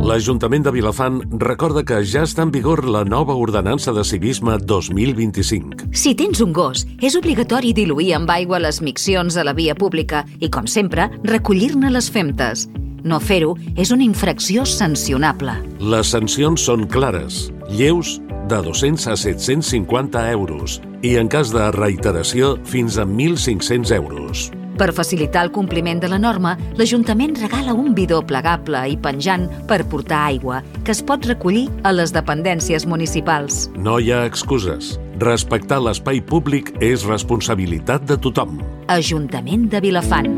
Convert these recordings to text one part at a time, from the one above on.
L'Ajuntament de Vilafant recorda que ja està en vigor la nova ordenança de civisme 2025. Si tens un gos, és obligatori diluir amb aigua les miccions a la via pública i, com sempre, recollir-ne les femtes. No fer-ho és una infracció sancionable. Les sancions són clares, lleus, de 200 a 750 euros i, en cas de reiteració, fins a 1.500 euros. Per facilitar el compliment de la norma, l'Ajuntament regala un bidó plegable i penjant per portar aigua, que es pot recollir a les dependències municipals. No hi ha excuses. Respectar l'espai públic és responsabilitat de tothom. Ajuntament de Vilafant.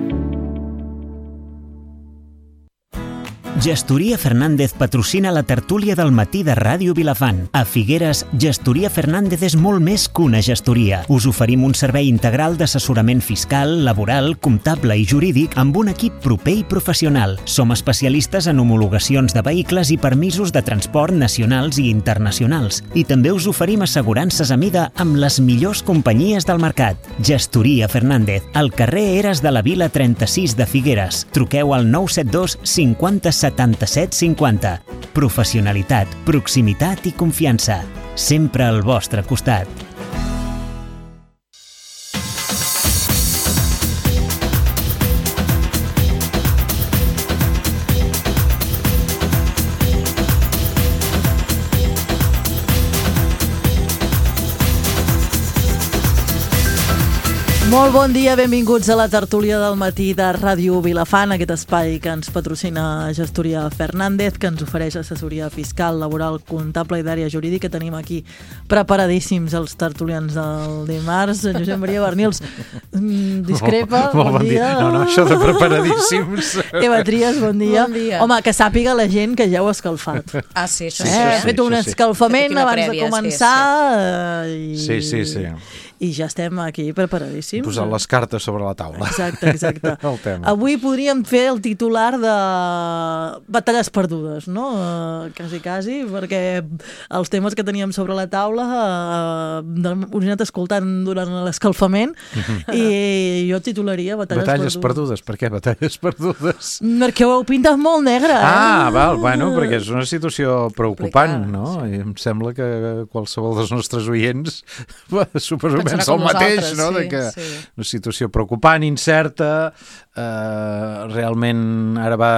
Gestoria Fernández patrocina la tertúlia del matí de Ràdio Vilafant. A Figueres, Gestoria Fernández és molt més que una gestoria. Us oferim un servei integral d'assessorament fiscal, laboral, comptable i jurídic amb un equip proper i professional. Som especialistes en homologacions de vehicles i permisos de transport nacionals i internacionals. I també us oferim assegurances a mida amb les millors companyies del mercat. Gestoria Fernández, al carrer Eres de la Vila 36 de Figueres. Truqueu al 972 50 77 50. Professionalitat, proximitat i confiança. Sempre al vostre costat. Molt bon dia, benvinguts a la tertúlia del matí de Ràdio Vilafant, aquest espai que ens patrocina Gestoria Fernández, que ens ofereix assessoria fiscal, laboral, comptable i d'àrea jurídica. Tenim aquí preparadíssims els tertulians del dimarts. Josep Maria Bernils discrepa, bon dia. No, això de preparadíssims. Eva Trias, bon dia. Bon dia. Home, que sàpiga la gent que ja heu escalfat. Ah, sí, això He fet un escalfament abans de començar. Sí. I ja estem aquí preparadíssims. Posant les cartes sobre la taula. Exacte. El tema. Avui podríem fer el titular de batalles perdudes, no? Quasi, perquè els temes que teníem sobre la taula us he anat escoltant durant l'escalfament i jo titularia batalles perdudes. Per què batalles perdudes? Perquè ho heu pintat molt negre, Val, bueno, perquè és una situació preocupant, no? I em sembla que qualsevol dels nostres oients suposo pensa el mateix, no? Sí, de que una situació preocupant, incerta, realment ara va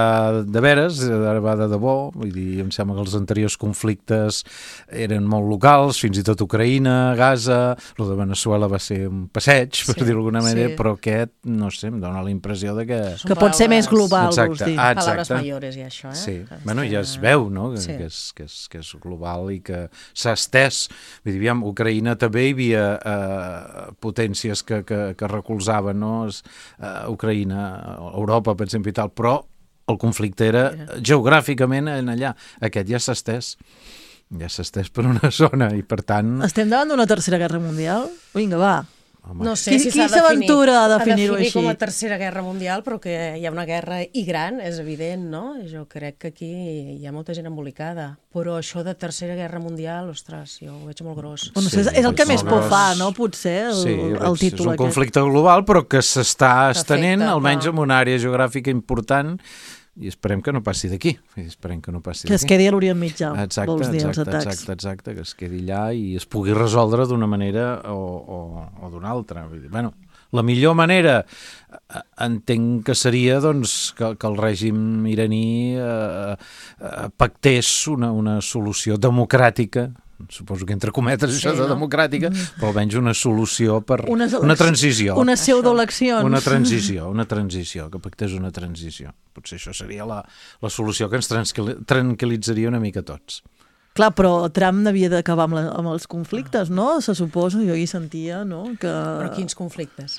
de veres, ara va de debò, vull dir, em sembla que els anteriors conflictes eren molt locals, fins i tot Ucraïna, Gaza, el de Veneçuela va ser un passeig, per dir-ho d'alguna manera, però aquest, no sé, em dona la impressió de que pot ser més global, vols dir. Paraules mayores i això, Sí, bueno, ja es veu, no?, que és global i que s'ha estès. Vull dir, aviam, Ucraïna també hi havia potències que recolzaven, no? Ucraïna, Europa, per exemple, i tal, però el conflicte era geogràficament en allà. Aquest ja s'ha estès per una zona i, per tant... Estem davant d'una tercera guerra mundial? Vinga, va. No sé si qui s'aventura a definir-ho així? Com a tercera guerra mundial, però que hi ha una guerra i gran, és evident, no? Jo crec que aquí hi ha molta gent embolicada, però això de tercera guerra mundial, ostres, jo ho veig molt gros. Bueno, és el que més por fa, no? Potser, el títol aquest. És un conflicte global, però que s'està estenent, almenys en una àrea geogràfica important, i esperem que no passi d'aquí. Que es quedi a l'Orient Mitjà, vols dir, els atacs. Exacte, que es quedi allà i es pugui resoldre d'una manera o d'una altra. Bueno, la millor manera entenc que seria doncs, que el règim iraní pactés una solució democràtica, suposo que entre cometes això de democràtica, però almenys una solució per una transició. Una pseudoeleccions. Una transició, que pactés una transició. Potser això seria la solució que ens tranquil·litzaria una mica a tots. Clar, però Trump havia d'acabar amb els conflictes, no? Se suposa, jo hi sentia, no? Però quins conflictes?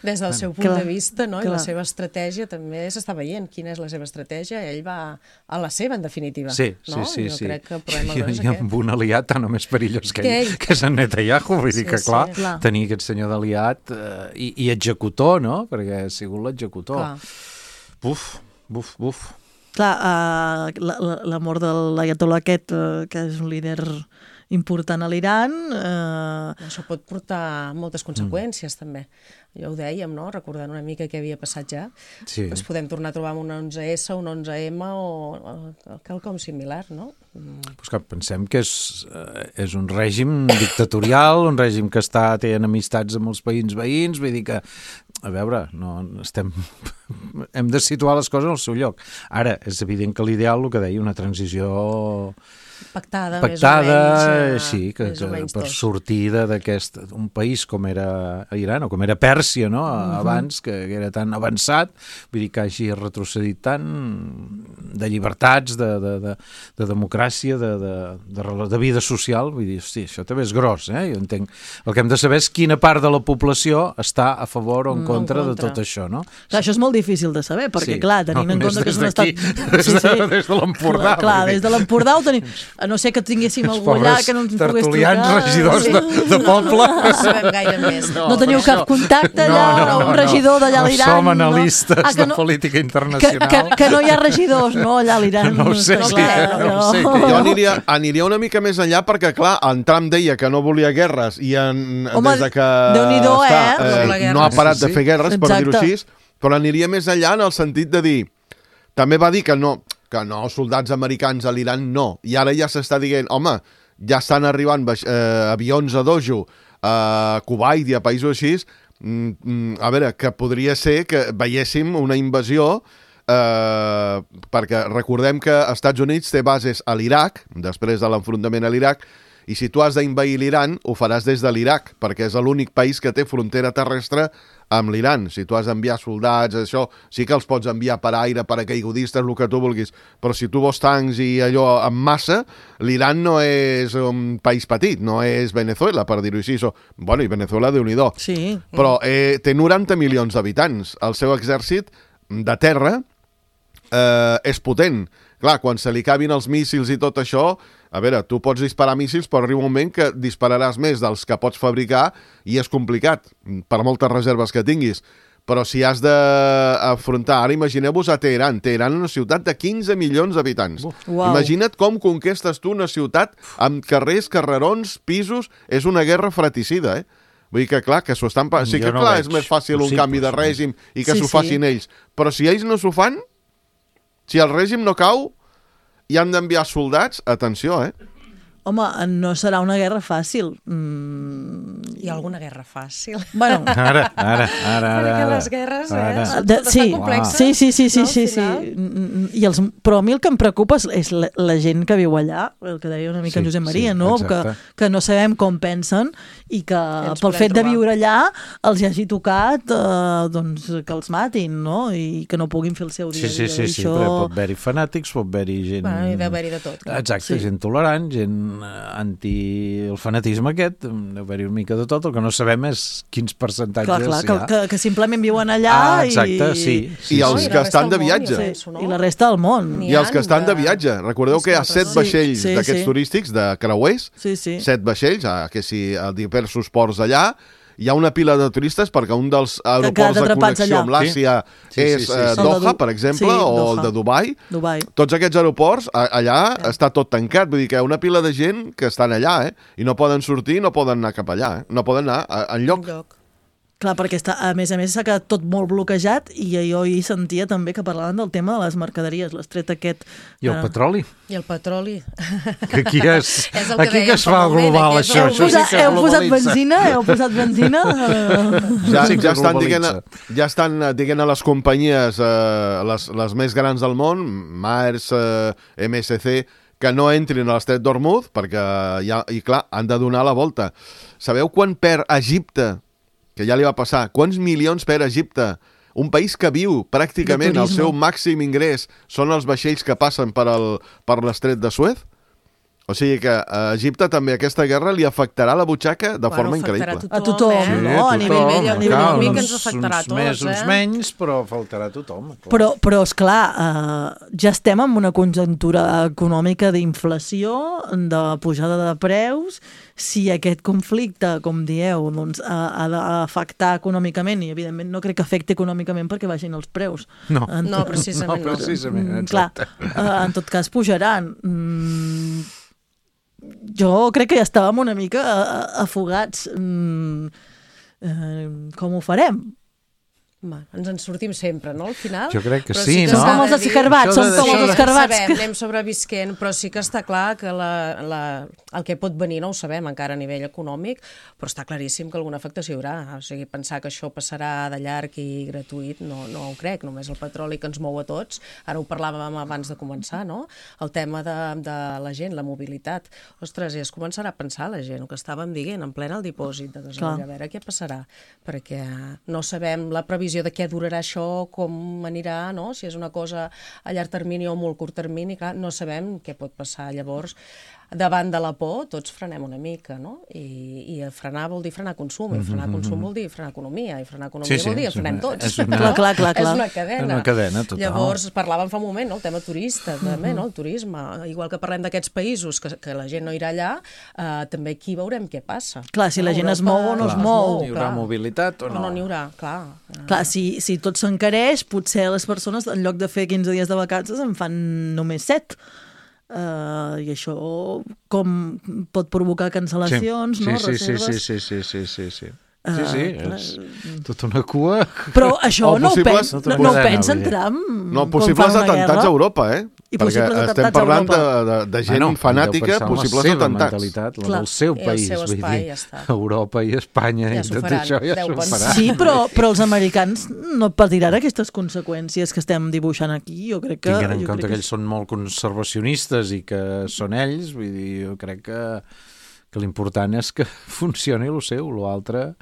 Des del seu punt de vista, no? I la seva estratègia també s'està veient. Quina és la seva estratègia? Ell va a la seva, en definitiva. Sí. Jo crec que el problema és aquest. I amb un aliat tan o més perillós que ell, que és en Netanyahu. Vull dir que, clar, tenir aquest senyor d'aliat i executor, no? Perquè ha sigut l'executor. Buf. Clar, la mort de l'Ayatollah aquest, que és un líder important a l'Iran. Això pot portar moltes conseqüències, també. Ja ho dèiem, no? Recordant una mica què havia passat ja. Sí. Ens podem tornar a trobar amb un 11S, un 11M o quelcom similar, no? Pues que pensem que és un règim dictatorial, un règim que té enemistats amb els països veïns, vull dir que, a veure, hem de situar les coses al seu lloc. Ara, és evident que l'ideal, el que deia, una transició pactada més o menys, sí, que per sortir d'un país com era Iran o com era Pèrsia, no? Abans, que era tan avançat, vull dir que hagi retrocedit tant de llibertats, de democràcia, de vida social, vull dir, hosti, això també és gros, jo entenc. El que hem de saber és quina part de la població està a favor o en contra de tot això, no? Clar, això és molt difícil de saber, perquè, clar, tenint en compte que és un estat... Des de l'Empordà. Clar, des de l'Empordà ho tenim... A no ser que tinguéssim algú allà que no ens pogués trucar. Regidors de poble. No sabem gaire més. No teniu cap contacte allà, un regidor d'allà a l'Iran? Som analistes de política internacional. Que no hi ha regidors, no, allà a l'Iran? No ho sé, no ho sé. Jo aniria una mica més enllà perquè, clar, en Trump deia que no volia guerres i des de que no ha parat de fer guerres, per dir-ho així, però aniria més enllà en el sentit de dir... També va dir que no soldats americans a l'Iran no, i ara ja s'està dient, home, ja estan arribant avions a Dojo, a Kuwait i a països així, a veure, que podria ser que veiéssim una invasió, perquè recordem que els Estats Units té bases a l'Iraq, després de l'enfrontament a l'Iraq, i si tu has d'invair l'Iran, ho faràs des de l'Iraq, perquè és l'únic país que té frontera terrestre amb l'Iran. Si tu has d'enviar soldats, això, sí que els pots enviar per aire, paracaigudistes, el que tu vulguis, però si tu vols tancs i allò en massa, l'Iran no és un país petit, no és Venezuela, per dir-ho així. Bueno, i Venezuela, Déu-n'hi-do. Sí. Però té 90 milions d'habitants. El seu exèrcit de terra és potent. Clar, quan se li acabin els míssils i tot això, a veure, tu pots disparar míssils, però arriba un moment que dispararàs més dels que pots fabricar i és complicat, per moltes reserves que tinguis. Però si has d'afrontar... Ara imagineu-vos a Teheran. Teheran és una ciutat de 15 milions d'habitants. Wow. Imagina't com conquestes tu una ciutat amb carrers, carrerons, pisos... És una guerra fratricida, Vull dir que, clar, que s'ho estan... Sí que, clar, és més fàcil un canvi de règim i que s'ho facin ells. Però si ells no s'ho fan, si el règim no cau i han d'enviar soldats, atenció, Home, no serà una guerra fàcil. Hi ha alguna guerra fàcil? Bueno, Ara. Perquè les guerres, sí, complexes. Sí. Però a mi el que em preocupa és la gent que viu allà, el que deia una mica en Josep Maria, no? Que no sabem com pensen i que pel fet de viure allà els hagi tocat que els matin, no? I que no puguin fer el seu dia a dia. Sí, però pot haver-hi fanàtics, pot haver-hi gent... Hi ha d'haver-hi de tot. Exacte, gent tolerant, gent anti el fanatisme aquest, deu haver-hi una mica de tot, el que no sabem és quins percentatges hi ha. Que simplement viuen allà exacte, sí. I els que estan de viatge. I la resta del món. I els que estan de viatge. Recordeu que hi ha 7 vaixells d'aquests turístics, de creuers, 7 vaixells, que si a diversos ports allà, hi ha una pila de turistes perquè un dels aeroports de connexió amb l'Àsia és Doha, per exemple, o el de Dubai. Tots aquests aeroports, allà està tot tancat. Vull dir que hi ha una pila de gent que estan allà, i no poden sortir, no poden anar cap allà, no poden anar enlloc. Clar, perquè a més s'ha quedat tot molt bloquejat i jo hi sentia també que parlaven del tema de les mercaderies, l'estret aquest... I el petroli. I el petroli. Que aquí que es fa global, això. Heu posat benzina? Ja estan dient a les companyies, les més grans del món, Maersk, MSC, que no entrin a l'estret d'Hormuz, perquè, i clar, han de donar la volta. Sabeu quan perd Egipte, que ja li va passar, quants milions per Egipte? Un país que viu pràcticament el seu màxim ingrés són els vaixells que passen per l'estret de Suez? O sigui que a Egipte també aquesta guerra li afectarà la butxaca de forma increïble. A tothom, no? A nivell econòmic ens afectarà a tots. Uns més, uns menys, però afectarà a tothom. Però esclar, ja estem en una conjuntura econòmica d'inflació, de pujada de preus. Si aquest conflicte, com dieu, doncs, ha d'afectar econòmicament, i evidentment no crec que afecti econòmicament perquè baixin els preus. No, precisament. No, precisament, clar, en tot cas pujaran. jo crec que ja estàvem una mica afogats. Com ho farem? Ens en sortim sempre, no, al final? Jo crec que però sí, que no? Som com els escarbats, som com els escarbats. Anem sobrevisquent, però sí que està clar que el que pot venir no ho sabem encara a nivell econòmic, però està claríssim que alguna afectació hi haurà. O sigui, pensar que això passarà de llarg i gratuït no ho crec, només el petroli que ens mou a tots. Ara ho parlàvem abans de començar, no? El tema de la gent, la mobilitat. Ostres, i es començarà a pensar la gent, el que estàvem dient, en plena el dipòsit de gasoil, a veure què passarà, perquè no sabem la previsió de què durarà això, com anirà, no? Si és una cosa a llarg termini o a molt curt termini, clar, no sabem què pot passar. Llavors, davant de la por, tots frenem una mica, no? I frenar vol dir frenar consum, i frenar consum vol dir frenar economia, i frenar economia vol dir frenem tots. Clar. És una cadena. Una cadena, total. Llavors, parlàvem fa un moment, no? El tema turista, també, no? El turisme. Igual que parlem d'aquests països que la gent no irà allà, també aquí veurem què passa. Clar, si la gent es mou o no es mou. Hi haurà mobilitat o no? No n'hi haurà, clar. Clar, si tot s'encareix, potser les persones, en lloc de fer 15 dies de vacances, en fan només 7. I això com pot provocar cancel·lacions, no? Reserves. Sí. És tota una cua. Però això no ho pensa en Trump. No, possibles atentats a Europa, I perquè estem parlant de gent fanàtica, possibles atentats. La del seu país, vull dir, Europa i Espanya i tot això ja s'ho farà. Sí, però els americans no patiran aquestes conseqüències que estem dibuixant aquí. Jo crec que... Tinguent en compte que ells són molt conservacionistes i que són ells, vull dir, jo crec que l'important és que funcioni el seu, l'altre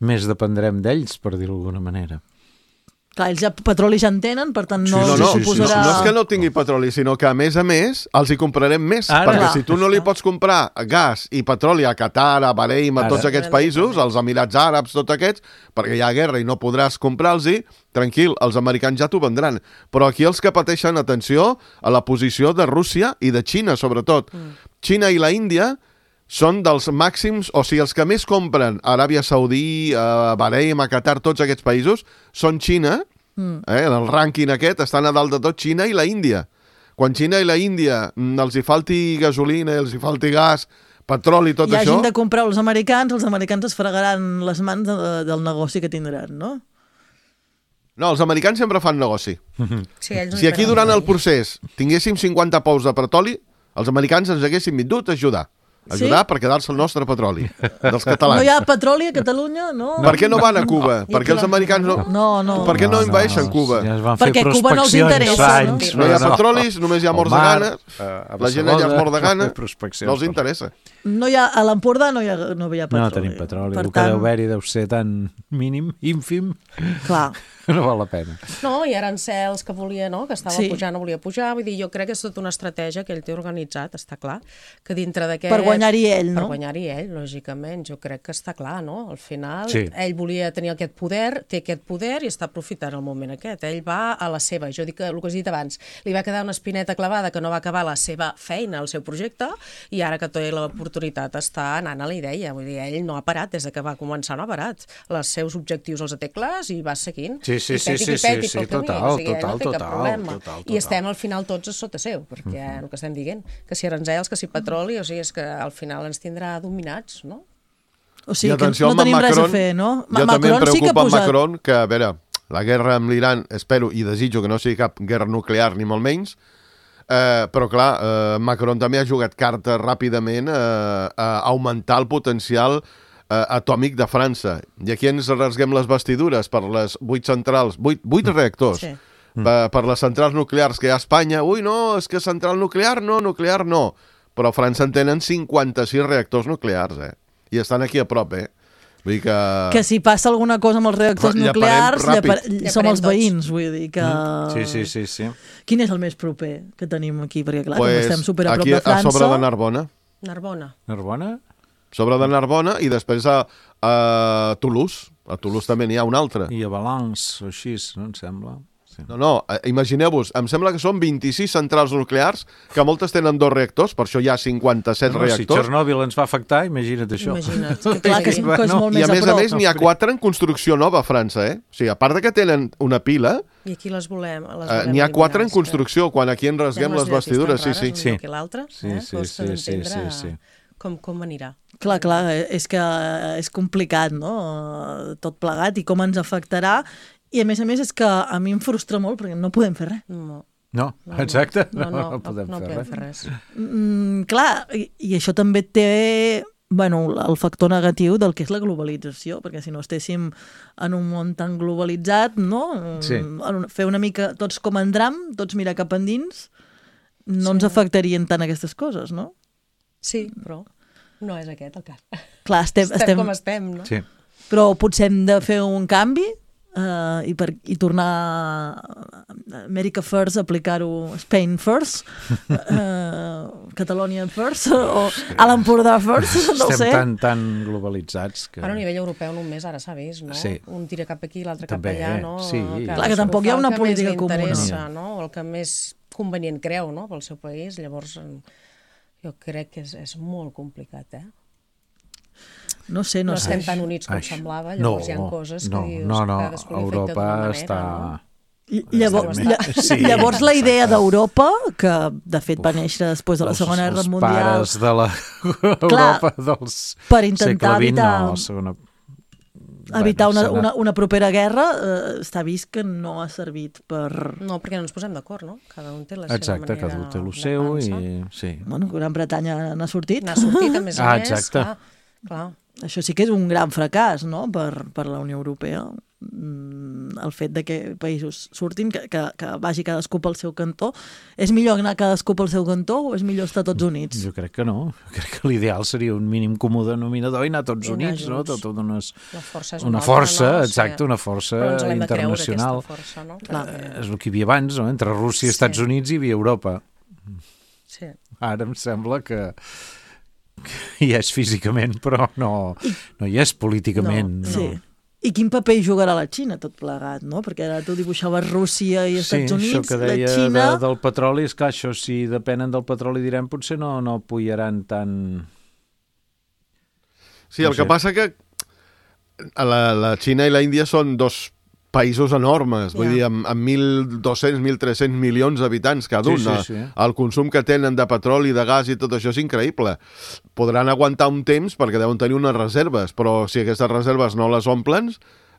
més dependrem d'ells, per dir-ho d'alguna manera. Clar, ells ja petroli ja en tenen, per tant no suposarà... No és que no tingui petroli, sinó que a més els hi comprarem més, perquè si tu no li pots comprar gas i petroli a Qatar, a Bahrein, a tots aquests països, als Emirats Àrabs, tots aquests, perquè hi ha guerra i no podràs comprar-los-hi, tranquil, els americans ja t'ho vendran. Però aquí els que pateixen, atenció, a la posició de Rússia i de Xina, sobretot. Xina i la Índia són dels màxims, o sigui, els que més compren a Aràbia Saudí, a Bahrein, a Qatar, tots aquests països, són Xina, en el rànquing aquest estan a dalt de tot Xina i la Índia. Quan Xina i la Índia els hi falti gasolina, els hi falti gas, petroli, tot això... I hagin de comprar els americans es fregaran les mans del negoci que tindran, no? No, els americans sempre fan negoci. Si aquí durant el procés tinguéssim 50 pous de petroli, els americans ens haguessin vingut a ajudar per quedar-se el nostre petroli, dels catalans. No hi ha petroli a Catalunya? No. Per què no van a Cuba? Per què els americans no? Per què no envaeixen Cuba? Perquè Cuba no els interessa. No hi ha petrolis, només hi ha morts de gana. La gent allà es mor de gana. No els interessa. A l'Empordà no hi ha petroli. No tenim petroli. El que deu haver-hi deu ser tan mínim, ínfim. Clar. No val la pena. No, i arancels que volia, no? Que estava pujant, no volia pujar. Vull dir, jo crec que és tota una estratègia que ell té organitzat, està clar. Que dintre d'aquest... Per guanyar-hi ell, no? Per guanyar-hi ell, lògicament. Jo crec que està clar, no? Al final, ell volia tenir aquest poder, té aquest poder i està aprofitant el moment aquest. Ell va a la seva. Jo dic el que has dit abans. Li va quedar una espineta clavada que no va acabar la seva feina, el seu projecte, i ara que té l'oportunitat està anant a la idea. Vull dir, ell no ha parat, des que va començar no ha parat. Els seus objectius els té clars i va seguint. Total. I estem al final tots a sota seu, perquè el que estem dient, que si arancels, que si petroli, o sigui, és que al final ens tindrà dominats, no? O sigui, que no tenim res a fer, no? Jo també em preocupa Macron, que, a veure, la guerra amb l'Iran, espero i desitjo que no sigui cap guerra nuclear, ni molt menys, però clar, Macron també ha jugat carta ràpidament a augmentar el potencial atòmic de França. I aquí ens rasguem les vestidures per les 8 centrals, 8 reactors, per les centrals nuclears que hi ha a Espanya. Ui, no, és que central nuclear no. Però a França en tenen 56 reactors nuclears, I estan aquí a prop, Vull dir que si passa alguna cosa amb els reactors nuclears, som els veïns, vull dir que... Sí. Quin és el més proper que tenim aquí? Perquè, clar, estem super a prop de França... A sobre de Narbona. Narbona? Sobre de Narbona i després a Toulouse. A Toulouse també n'hi ha un altre. I a Valence, o així, no em sembla? No, imagineu-vos, em sembla que són 26 centrals nuclears, que moltes tenen 2 reactors, per això hi ha 57 reactors. Si Txernòbil ens va afectar, imagina't això. Clar, que és molt més a prop. I a més, n'hi ha 4 en construcció nova a França, O sigui, a part de que tenen una pila... I aquí les volem n'hi ha 4 en construcció, quan aquí en rasguem les vestidures, sí. Sí. Que l'altre, sí. Com anirà. Clar, és que és complicat, no?, tot plegat, i com ens afectarà. I a més és que a mi em frustra molt perquè no podem fer res. No, exacte. No podem fer res. Clar, i això també té el factor negatiu del que és la globalització, perquè si no estéssim en un món tan globalitzat, no? Sí. Fer una mica tots com en dram, tots mirar cap endins, no ens afectarien tant aquestes coses, no? Sí, però no és aquest el cas. Clar, estem com estem, no? Sí. Però potser hem de fer un canvi i tornar a America First, aplicar-ho Spain First, Catalonia First, o a l'Empordà First, no sé. Estem tan globalitzats que... Ara a nivell europeu només ara s'ha vist, no? Sí. Un tira cap aquí, l'altre cap allà, no? Sí. Clar, que tampoc hi ha una política comuna. El que més li interessa, no? O el que més convenient creu, no?, pel seu país. Llavors, jo crec que és molt complicat, No sé. No estem tan units com semblava, llavors hi ha coses que dius que cadascú li afecta d'una manera, no? Llavors la idea d'Europa, que de fet va néixer després de la Segona Guerra Mundial... Els pares de l'Europa dels segle XX, evitar una propera guerra, està vist que no ha servit per... No, perquè no ens posem d'acord, no? Cada un té la seva manera. Exacte, cada un té el seu i... Sí. Bueno, Gran Bretanya n'ha sortit. N'ha sortit, a més a més. Exacte. Clar. Això sí que és un gran fracàs, no?, per la Unió Europea. El fet de que països surtin, que vagi cadascú pel seu cantó. És millor anar cadascú pel seu cantó o és millor estar tots units? Jo crec que no. Jo crec que l'ideal seria un mínim comú denominador i anar tots units, no? Una força, exacte, una força internacional. Força, no? És el que hi havia abans, no? Entre Rússia, Estats Units i hi havia Europa. Sí. Ara em sembla que hi és físicament, però no hi és políticament. No. Sí. I quin paper hi jugarà la Xina tot plegat, no? Perquè ara tu dibuixaves Rússia i Estats Units, això que deia la Xina... del petroli, és que això, si depenen del petroli, direm, potser no pujaran tant... Sí, el que passa que la Xina i la Índia són dos països enormes, vull dir, amb 1.200, 1.300 milions d'habitants cada un. Sí. El consum que tenen de petroli, de gas i tot això és increïble. Podran aguantar un temps perquè deuen tenir unes reserves, però si aquestes reserves no les omplen,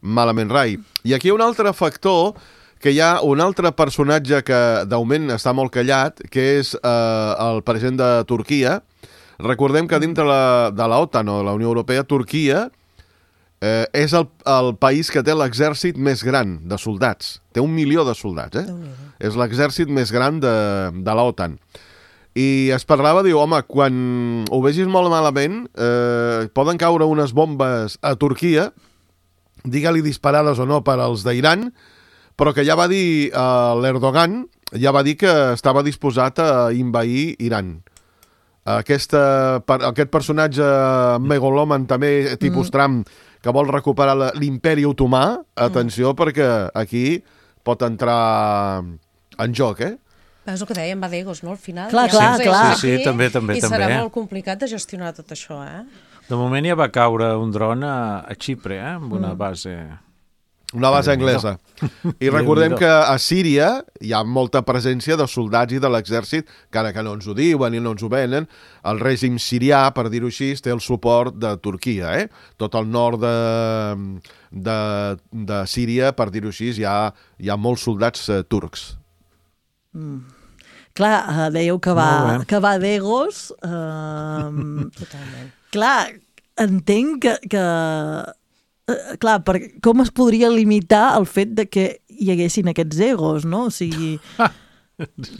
malament rai. I aquí hi ha un altre factor, que hi ha un altre personatge que d'augment està molt callat, que és el president de Turquia. Recordem que dintre de la OTAN o de la Unió Europea, Turquia és el país que té l'exèrcit més gran de soldats. Té 1 milió de soldats, És l'exèrcit més gran de l'OTAN. I es parlava, diu, home, quan ho vegis molt malament, poden caure unes bombes a Turquia, digue-li disparades o no per als d'Iran, però que ja va dir l'Erdogan, ja va dir que estava disposat a invair Iran. Aquest personatge megaloman també, tipus Trump, que vol recuperar l'imperi otomà, atenció, perquè aquí pot entrar en joc, És el que dèiem, va d'egos, no?, al final. Clar. Sí, també. I serà molt complicat de gestionar tot això, De moment ja va caure un dron a Xipre, amb una base... Una base anglesa. I recordem que a Síria hi ha molta presència de soldats i de l'exèrcit, encara que no ens ho diuen i no ens ho venen. El règim sirià, per dir-ho així, té el suport de Turquia. Tot el nord de Síria, per dir-ho així, hi ha molts soldats turcs. Clar, dèieu que va d'egos. Totalment. Clar, entenc que clar, com es podria limitar el fet de que hi haguessin aquests egos, no? O sigui,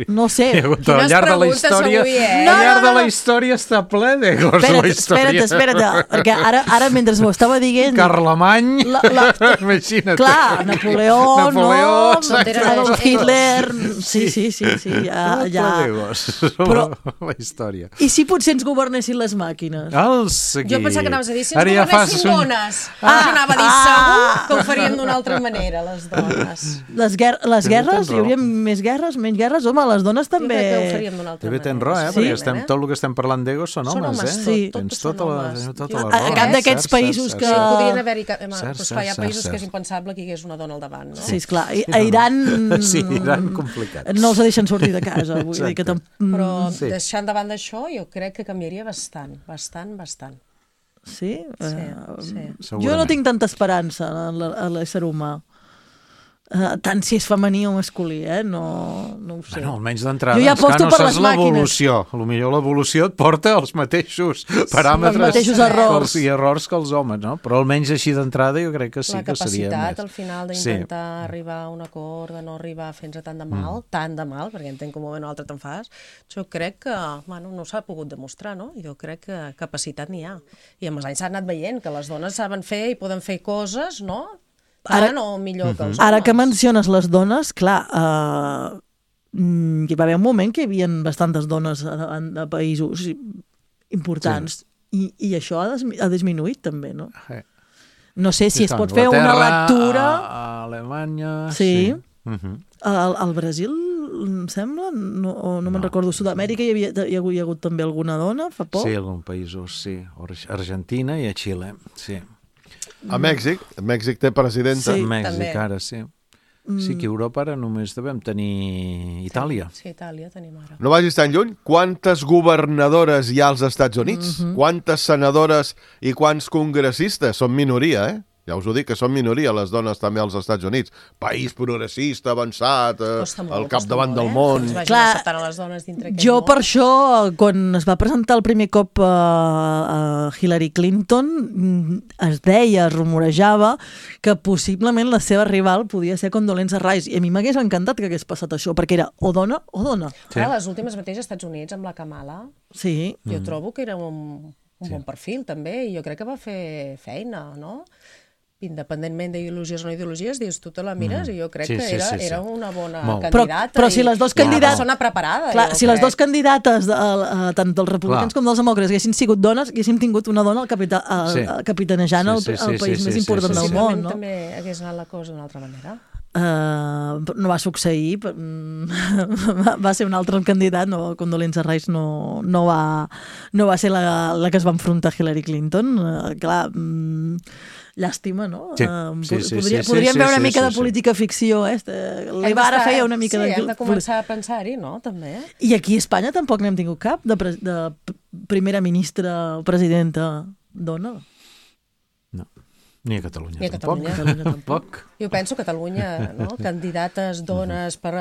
No sé. Quines preguntes avui, Al llarg de la història està ple d'egos, la història. Espera't, perquè ara mentre m'ho estava dient... Carlemany, imagina't. Clar, Napoleó, Adolf Hitler... Sí, ja... Però la història. I si potser ens governessin les màquines? Jo pensava que anaves a dir, si ens governessin dones. Jo anava a dir, segur que ho faríem d'una altra manera, les dones. Les guerres? Hi hauria més guerres, menys guerres? Home, les dones també... Jo crec que ho faríem d'una altra manera. Tens raó, perquè tot el que estem parlant d'egos són homes, Tens tota la raó. A cap d'aquests països que... Podrien haver-hi... Hi ha països que és impensable que hi hagués una dona al davant, no? Sí, esclar. A Iran... Sí, Iran complicat. No els deixen sortir de casa. Però deixant de banda això, jo crec que canviaria bastant. Sí? Sí. Jo no tinc tanta esperança en l'ésser humà. Tant si és femení o masculí, no ho sé. Bueno, almenys d'entrada, jo ja aposto per les màquines. Potser l'evolució et porta als mateixos paràmetres, els mateixos errors. I errors que els homes, no? Però almenys així d'entrada jo crec que sí que seria més. La capacitat al final d'intentar arribar a un acord, de no arribar a fer-nos tant de mal, perquè entenc que un moment o altre te'n fas, jo crec que no s'ha pogut demostrar, no? Jo crec que capacitat n'hi ha. I amb els anys s'ha anat veient que les dones saben fer i poden fer coses, no? Ara no millor que els homes. Ara que menciones les dones, clar, hi va haver un moment que hi havia bastantes dones a països importants i això ha disminuït també, no? No sé si es pot fer una lectura... A Alemanya... Sí. Al Brasil, em sembla, no me'n recordo, Sud-amèrica hi ha hagut també alguna dona fa poc? Sí, alguns països, sí. Argentina i a Xile, sí. A Mèxic té presidenta. Sí, Mèxic ara, sí. Sí que a Europa ara només devem tenir Itàlia. Sí, Itàlia tenim ara. No vagis tan lluny. Quantes governadores hi ha als Estats Units? Quantes senadores i quants congressistes? Són minoria, Ja us ho dic, que són minoria les dones també als Estats Units. País progressista, avançat, al capdavant del món. Clar, les dones dintre jo per això, quan es va presentar el primer cop a Hillary Clinton, es deia, es rumorejava, que possiblement la seva rival podia ser Condoleezza Rice. I a mi m'hagués encantat que hagués passat això, perquè era o dona o dona. Clar, les últimes mateix als Estats Units, amb la Kamala, jo trobo que era un bon perfil, també, i jo crec que va fer feina, no? Independentment d'ideologies o no ideologies, dius, tu te la mires i jo crec que era una bona candidata. Però si les dues candidates... Una persona preparada. Clar, si les dues candidates, tant dels republicans com dels demòcrates, haguessin sigut dones, haguéssim tingut una dona capitanejant el país més important del món. També hagués anat la cosa d'una altra manera. No va succeir, va ser un altre candidat, Condoleezza Rice no va ser la que es va enfrontar a Hillary Clinton. Clar, llàstima, no? Podríem veure una mica de política ficció, l'Ibarra feia una mica de... Sí, hem de començar a pensar-hi, no? També. I aquí a Espanya tampoc n'hem tingut cap de primera ministra o presidenta dona. No. Ni a Catalunya tampoc. Jo penso que a Catalunya, candidates dones per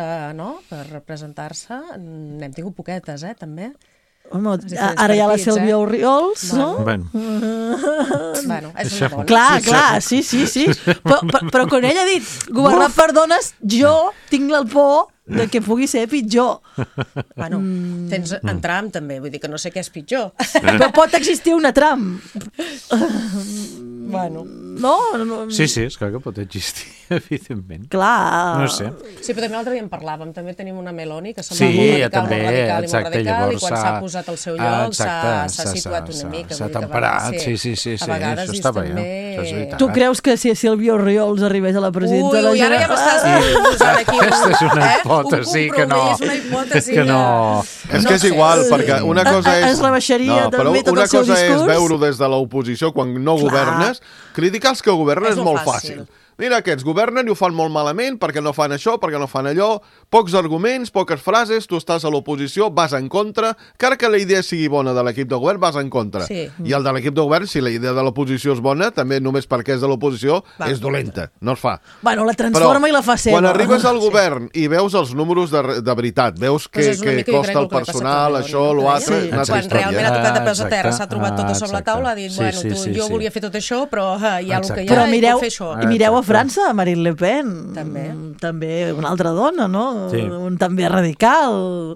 representar-se, n'hem tingut poquetes, també. Home, ara hi ha la Sílvia Orriols, no? Bueno, és una dona. Clar, sí. Però quan ella ha dit governar per dones, jo tinc el por de que pugui ser pitjor. Bueno, tens en Trump també, vull dir que no sé què és pitjor. Però pot existir una Trump. Bueno. No? Sí, és clar que pot existir, evidentment. Clar. No sé. Sí, però també l'altre dia en parlàvem. També tenim una Meloni que sembla molt radical, i quan s'ha posat al seu lloc s'ha situat una mica. S'ha temperat, sí. A vegades dius també... Tu creus que si Sílvia Orriols arribés a la presidenta de la Generalitat... Ui, ara ja m'estàs posant aquí aquesta és una hipòtesi que no. Que no. És que és igual, perquè una cosa és... Es rebaixaria també tot el seu discurs. Una cosa és veure-ho des de l'oposició quan no governes. Criticar els que governen és molt fàcil. Mira, aquests governen i ho fan molt malament perquè no fan això, perquè no fan allò, pocs arguments, poques frases, tu estàs a l'oposició, vas en contra, encara que la idea sigui bona de l'equip de govern, vas en contra. Sí. I el de l'equip de govern, si la idea de l'oposició és bona, també només perquè és de l'oposició, és dolenta, no es fa. Bueno, la transforma i la fa seva. Quan arribes al govern i veus els números de veritat, veus que costa el personal, això, l'altre... Quan realment ha tocat de peus a terra, s'ha trobat tot a sobre la taula, ha dit, bueno, jo volia fer tot això, però hi ha el que hi ha i puc fer això. Mireu a França, Marine Le Pen. També una altra dona, no? Sí. També radical.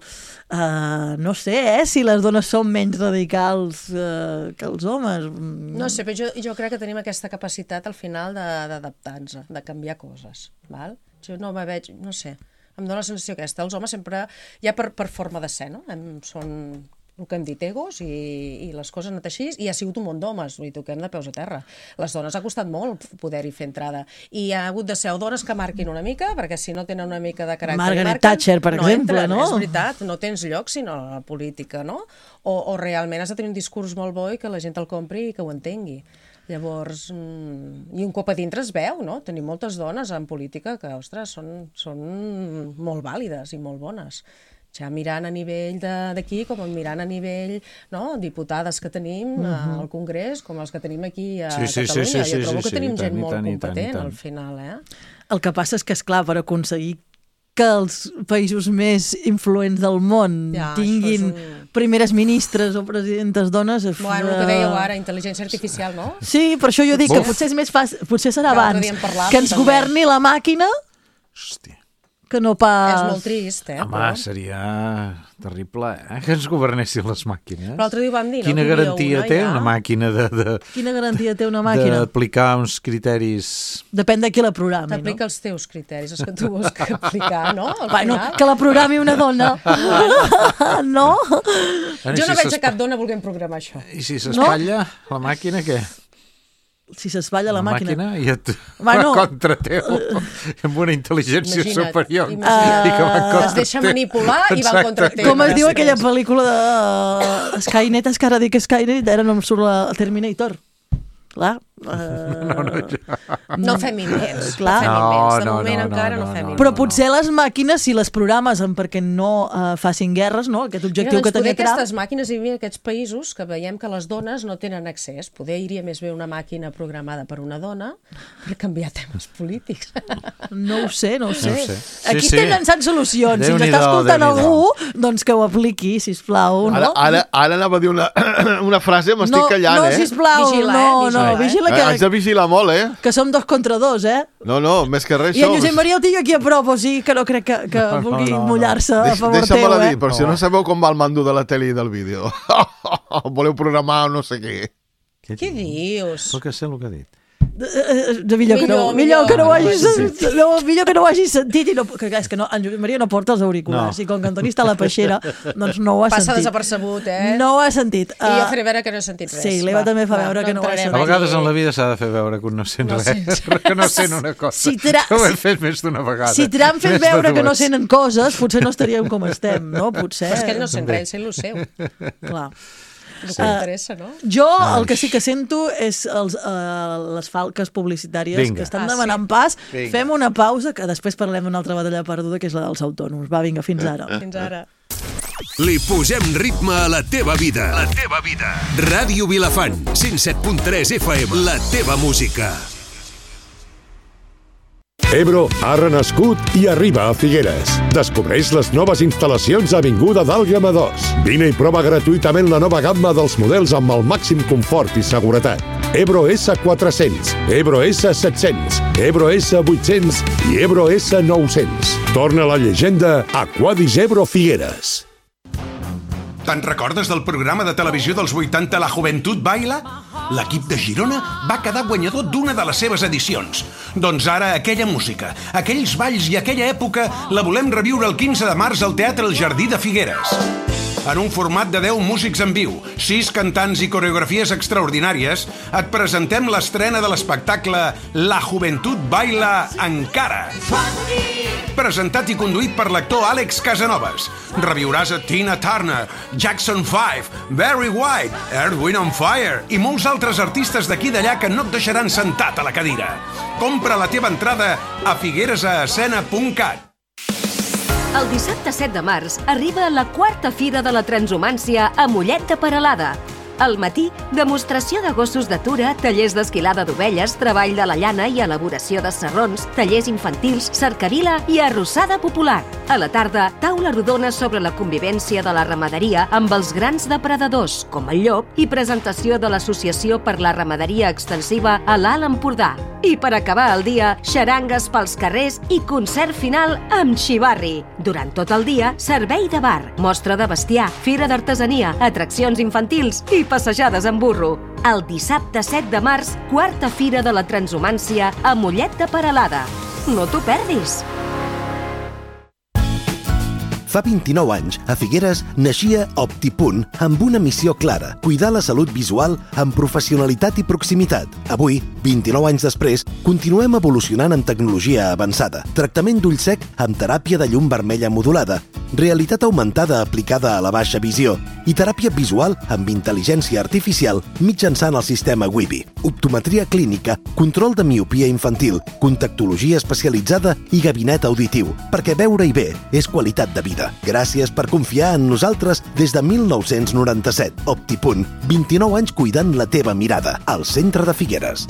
No sé, si les dones són menys radicals que els homes. No sé, però jo crec que tenim aquesta capacitat al final d'adaptar-nos, de canviar coses. Val? Jo no me veig, no sé, em dóna la sensació aquesta. Els homes sempre, ja per forma de ser, no? Són el que hem dit, egos, i les coses han anat així, i ha sigut un món d'homes, i toquem de peus a terra. Les dones ha costat molt poder-hi fer entrada, i ha hagut de ser dones que marquin una mica, perquè si no tenen una mica de caràcter... Margaret Thatcher, per exemple, no? És veritat, no tens lloc sinó a la política, no? O realment has de tenir un discurs molt bo i que la gent el compri i que ho entengui. Llavors, i un cop a dintre es veu, no? Tenim moltes dones en política que, ostres, són molt vàlides i molt bones. Ja mirant a nivell d'aquí, com mirant a nivell, no?, diputades que tenim al Congrés, com els que tenim aquí a Catalunya. Jo trobo que tenim gent molt competent al final, El que passa és que, esclar, per aconseguir que els països més influents del món tinguin primeres ministres o presidentes dones... Bueno, el que dèieu ara, intel·ligència artificial, no? Sí, per això jo dic que potser és més fàcil, potser serà abans que ens governi la màquina... Hòstia. Que no pas... És molt trist, Home, seria terrible, que ens governessin les màquines. Però l'altre dia ho vam dir, no? Quina garantia té una màquina Quina garantia té una màquina? D'aplicar uns criteris... Depèn de qui la programi, no? T'aplica els teus criteris, els que tu vols aplicar, no? Bueno, que la programi una dona. No? Jo no veig a cap dona volent programar això. I si s'espatlla la màquina, què? Si s'espatlla la màquina i et contra teu amb una intel·ligència superior es deixa manipular i va contra teu. Com es diu aquella pel·lícula de Skynet, és que ara dic Skynet, ara no em surt la Terminator. Clar. No fem invents. De moment encara no fem invents. Però potser les màquines, si les programes perquè no facin guerres, no? Aquest objectiu que tenia Trump... Aquestes màquines hi havia aquests països que veiem que les dones no tenen accés. Poder iria més bé una màquina programada per una dona per canviar temes polítics. No ho sé. Aquí estem llançant solucions. Si ens està escoltant algú, doncs que ho apliqui, sisplau. Ara anava a dir una frase, m'estic callant, No, sisplau, no, vigila que... Has de vigilar molt, Que som 2 contra 2, No, més que res. I en Josep Maria el tinc aquí a prop, o sigui que no crec que vulgui mullar-se a favor teu, Deixa-me-la dir, però si no sabeu com va el mando de la tele i del vídeo. Voleu programar no sé què. Què dius? Però que sé el que ha dit. Millor que no ho hagis sentit i no, és que en Josep Maria no porta els auriculars i com que Antoni està a la peixera doncs no ho ha sentit. Passa desapercebut, No ho ha sentit. I jo faré veure que no he sentit res. Sí, l'Eva també fa veure que no ho ha sentit. A vegades en la vida s'ha de fer veure que no sent res, que no sent una cosa. Ho hem fet més d'una vegada. Si Trump fes veure que no senten coses, potser no estaríem com estem, no? Potser. Però és que ell no sent res, sent lo seu. Clar. El que interessa, no? Jo el que sí que sento és les falques publicitàries que estan demanant pas. Fem una pausa, que després parlem d'una altra batalla perduda, que és la dels autònoms. Va, vinga, fins ara. Fins ara. Li posem ritme a la teva vida. La teva vida. Ràdio Vilafant, 107.3 FM. La teva música. Ebro ha renascut i arriba a Figueres. Descobreix les noves instal·lacions a Avinguda d'Àlguema 2. Vine i prova gratuïtament la nova gamma dels models amb el màxim confort i seguretat. Ebro S400, Ebro S700, Ebro S800 i Ebro S900. Torna la llegenda Aquadis Ebro Figueres. Te'n recordes del programa de televisió dels 80 La Juventud Baila? L'equip de Girona va quedar guanyador d'una de les seves edicions. Doncs ara aquella música, aquells balls i aquella època la volem reviure el 15 de març al Teatre El Jardí de Figueres. En un format de 10 músics en viu, 6 cantants i coreografies extraordinàries, et presentem l'estrena de l'espectacle La Juventud Baila Encara. Presentat i conduït per l'actor Àlex Casanovas. Reviuràs a Tina Turner, Jackson 5, Barry White, Earth, Wind and Fire i molts altres artistes d'aquí i d'allà que no et deixaran sentat a la cadira. Compra la teva entrada a figueresescena.cat. El dissabte 7 de març arriba la 4ª Fira de la Transhumància a Mollet de Peralada. Al matí, demostració de gossos d'atura, tallers d'esquilada d'ovelles, treball de la llana i elaboració de sarrons, tallers infantils, cercavila i arrossada popular. A la tarda, taula rodona sobre la convivència de la ramaderia amb els grans depredadors, com el llop, i presentació de l'Associació per la Ramaderia Extensiva a l'Alt Empordà. I per acabar el dia, xarangues pels carrers i concert final amb xivarri. Durant tot el dia, servei de bar, mostra de bestiar, fira d'artesania, atraccions infantils i passejades en burro. El dissabte 7 de març, quarta fira de la transhumància a Mollet de Peralada. No t'ho perdis! Fa 29 anys, a Figueres, naixia OptiPunt amb una missió clara, cuidar la salut visual amb professionalitat i proximitat. Avui, 29 anys després, continuem evolucionant amb tecnologia avançada, tractament d'ull sec amb teràpia de llum vermella modulada, realitat augmentada aplicada a la baixa visió i teràpia visual amb intel·ligència artificial mitjançant el sistema Wibi, optometria clínica, control de miopia infantil, contactologia especialitzada i gabinet auditiu, perquè veure-hi bé és qualitat de vida. Gràcies per confiar en nosaltres des de 1997. OptiPunt, 29 anys cuidant la teva mirada, al centre de Figueres.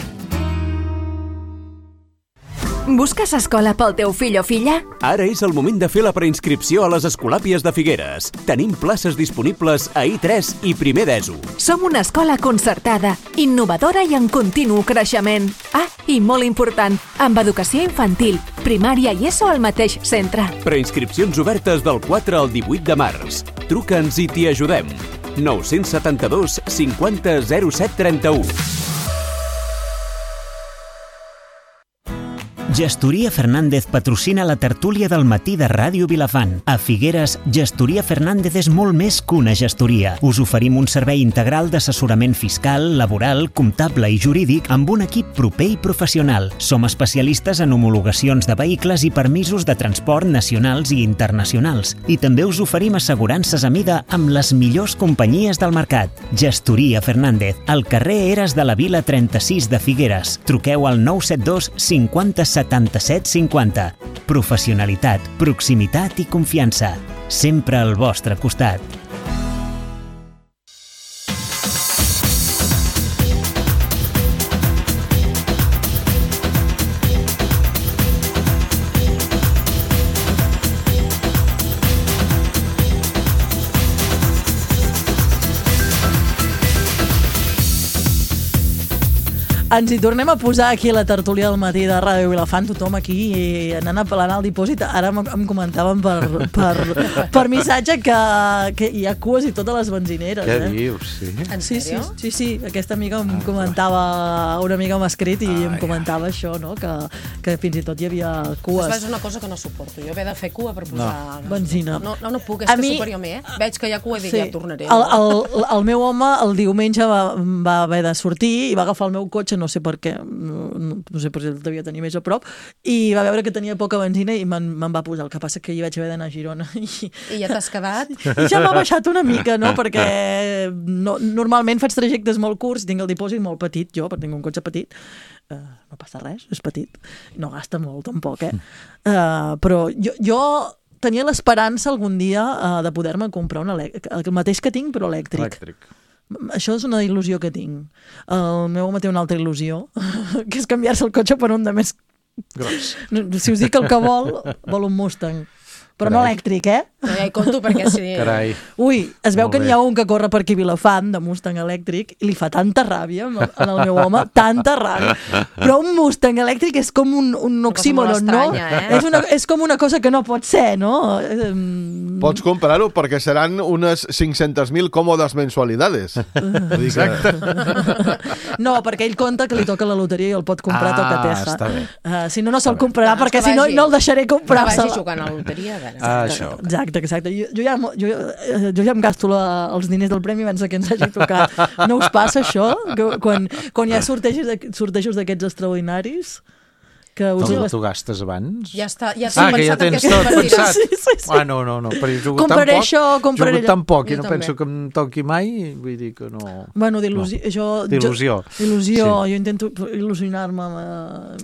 Busques escola pel teu fill o filla? Ara és el moment de fer la preinscripció a les Escolàpies de Figueres. Tenim places disponibles a I3 i primer d'ESO. Som una escola concertada, innovadora i en continu creixement. Ah, i molt important, amb educació infantil, primària i ESO al mateix centre. Preinscripcions obertes del 4 al 18 de març. Truca'ns i t'hi ajudem. 972 50 07 31. Gestoria Fernández patrocina la tertúlia del matí de Ràdio Vilafant. A Figueres, Gestoria Fernández és molt més que una gestoria. Us oferim un servei integral d'assessorament fiscal, laboral, comptable i jurídic amb un equip proper i professional. Som especialistes en homologacions de vehicles i permisos de transport nacionals i internacionals. I també us oferim assegurances a mida amb les millors companyies del mercat. Gestoria Fernández, al carrer Eres de la Vila 36 de Figueres. Truqueu al 972 50 77 50. Professionalitat, proximitat i confiança. Sempre al vostre costat. Ens hi tornem a posar aquí a la tertúlia del matí de Ràdio Vilafant, tothom aquí anant apel·lant al dipòsit. Ara em comentaven per missatge que hi ha cues i totes les benzineres. Què dius? Sí? En sèrio? Sí. Aquesta amiga em comentava, una amiga m'ha escrit i em comentava això, no? Que fins i tot hi havia cues. És una cosa que no suporto. Jo he de fer cua per posar benzina. No puc, és que superior a mi, Veig que hi ha cua i dic, ja tornaré. El meu home el diumenge va haver de sortir i va agafar el meu cotxe, no sé per què, no sé per si el devia tenir més a prop, i va veure que tenia poca benzina i me'n va posar. El que passa que hi vaig haver d'anar a Girona. I ja t'has quedat? I ja m'ha baixat una mica, no? Perquè normalment faig trajectes molt curts, tinc el dipòsit molt petit, jo, perquè tinc un cotxe petit. No passa res, és petit. No gasta molt, tampoc, però jo tenia l'esperança algun dia de poder-me comprar el mateix que tinc, però elèctric. Això és una il·lusió que tinc. El meu home té una altra il·lusió, que és canviar-se el cotxe per un de més gros. Si us dic el que vol un Mustang. Però no elèctric, No, ja hi compto perquè sí. Carai. Ui, es veu que n'hi ha un que corre per aquí Vilafant, de Mustang elèctric, i li fa tanta ràbia al meu home, tanta ràbia. Però un Mustang elèctric és com un oxímoron, no? És com una cosa que no pot ser, no? Pots comprar-ho perquè seran unes 500.000 còmodes mensualidades. Exacte. No, perquè ell conta que li toca la loteria i el pot comprar tot a Teja. Està bé. Si no se'l comprarà, perquè si no el deixaré comprar-se. Que vagi jugant a la loteria, a veure. Això. Exacte. Jo ja em gasto els diners del premi abans que ens hagi tocat. No us passa això? Quan hi ha sortejos d'aquests extraordinaris? Tu gastes abans? Ja està. Que ja tens tot pensat. Sí. No. Però jo jugo tan poc i no penso que em toqui mai, vull dir que no... Bueno, d'il·lusió. Jo intento il·lusionar-me.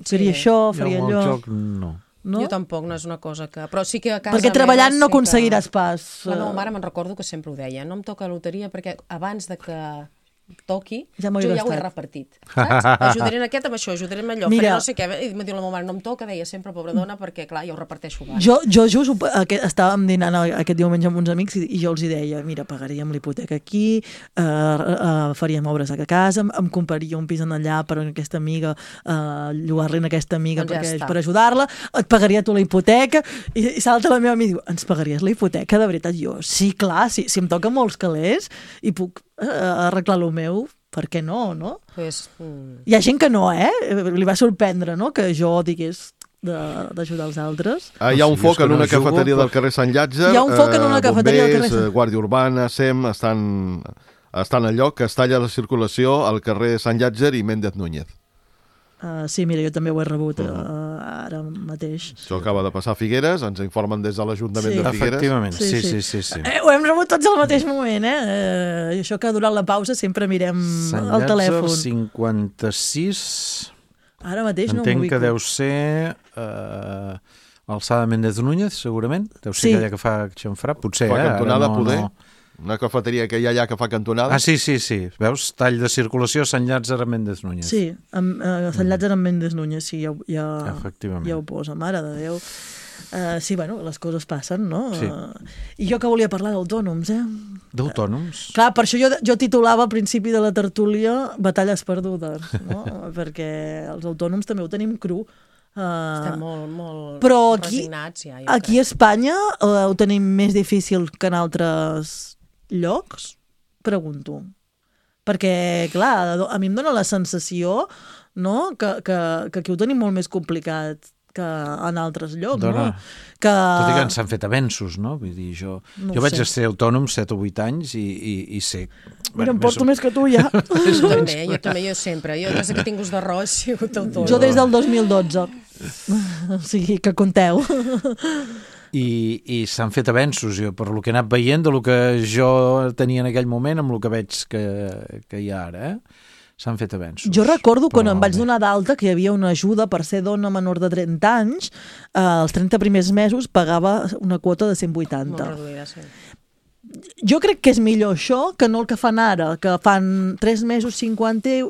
Faria això, faria allò. El joc, no. No? Jo tampoc, no és una cosa que... Però sí que a casa perquè treballant no aconseguiràs pas. La meva mare me'n recordo que sempre ho deia. No em toca la loteria perquè abans de que toqui, jo ja ho he repartit, saps? Ajudaré en aquest amb això, ajudaré en allò, faré no sé què, i em diu la meva mare, no em toca, deia sempre, pobra dona, perquè clar, jo ho reparteixo abans. Jo just estàvem dinant aquest diumenge amb uns amics i jo els hi deia, mira, pagaríem l'hipoteca aquí, faríem obres a casa, em compraria un pis en allà per aquesta amiga, llogar-li a aquesta amiga per ajudar-la, et pagaria tu la hipoteca, i salta la meva amiga i diu, ens pagaries la hipoteca de veritat? Jo, sí, clar, si em toca molts calés i puc arreglar el meu, per què no, no? Hi ha gent que no, li va sorprendre, no?, que jo digués d'ajudar els altres. Hi ha un foc en una cafeteria del carrer Sant Llàtzer. Hi ha un foc en una cafeteria del carrer Sant Llàtzer. Guàrdia Urbana, SEM, estan al lloc que es talla la circulació al carrer Sant Llàtzer i Méndez Núñez. Sí, mira, jo també ho he rebut ara mateix. Això acaba de passar a Figueres, ens informen des de l'Ajuntament de Figueres. Efectivament, sí. Ho hem rebut tots al mateix moment, això que durant la pausa sempre mirem el telèfon. Sant Llàtzer 56... Ara mateix no m'ho entenc que deu ser alçada Méndez Núñez, segurament. Deu ser aquella que fa xamfrà, potser, fa cantonada, poder. Una cafeteria que hi ha allà que fa cantonada. Ah, sí. Veus? Tall de circulació Sant Llàtzer a Méndez Núñez. Sí, Sant Llàtzer amb Méndez Núñez, sí, ja ho posa, mare de Déu. Sí, bueno, les coses passen, no? Sí. I jo que volia parlar d'autònoms, D'autònoms? Clar, per això jo titulava al principi de la tertúlia Batalles perdudes, no? Perquè els autònoms també ho tenim cru. Estem molt resignats ja. Aquí a Espanya ho tenim més difícil que en altres llocs? Pregunto. Perquè, clar, a mi em dóna la sensació, no?, que aquí ho tenim molt més complicat que en altres llocs, no? Tot i que s'han fet avenços, no? Vull dir, jo vaig ser autònom 7 o 8 anys i sé... Mira, em porto més que tu, ja. Jo també, jo sempre. Jo des que tinc gust d'arròs he sigut autònom. Jo des del 2012. O sigui, que compteu. I s'han fet avenços, jo, per lo que he anat veient, de lo que jo tenia en aquell moment amb el que veig que hi ha ara, s'han fet avenços. Jo recordo quan em vaig donar d'alta que hi havia una ajuda per ser dona menor de 30 anys, els 30 primers mesos pagava una quota de 180. Molt reduïda, sí. Jo crec que és millor això que no el que fan ara, que fan 3 mesos 50,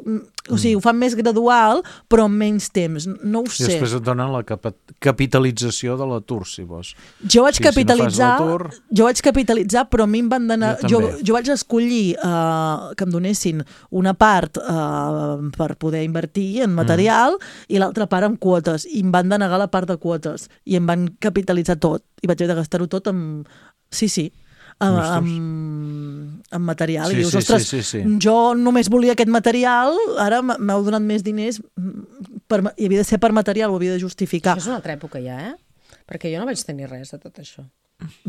o sigui, ho fan més gradual, però amb menys temps, no ho sé. I després et donen la capitalització de l'atur, si vols. Jo vaig capitalitzar, però a mi em van donar... Jo vaig escollir que em donessin una part per poder invertir en material i l'altra part en quotes, i em van denegar la part de quotes, i em van capitalitzar tot, i vaig haver de gastar-ho tot amb... Sí. Amb material. I dius, ostres, jo només volia aquest material, ara m'heu donat més diners, i havia de ser per material, ho havia de justificar. Això és una altra època ja, Perquè jo no vaig tenir res de tot això.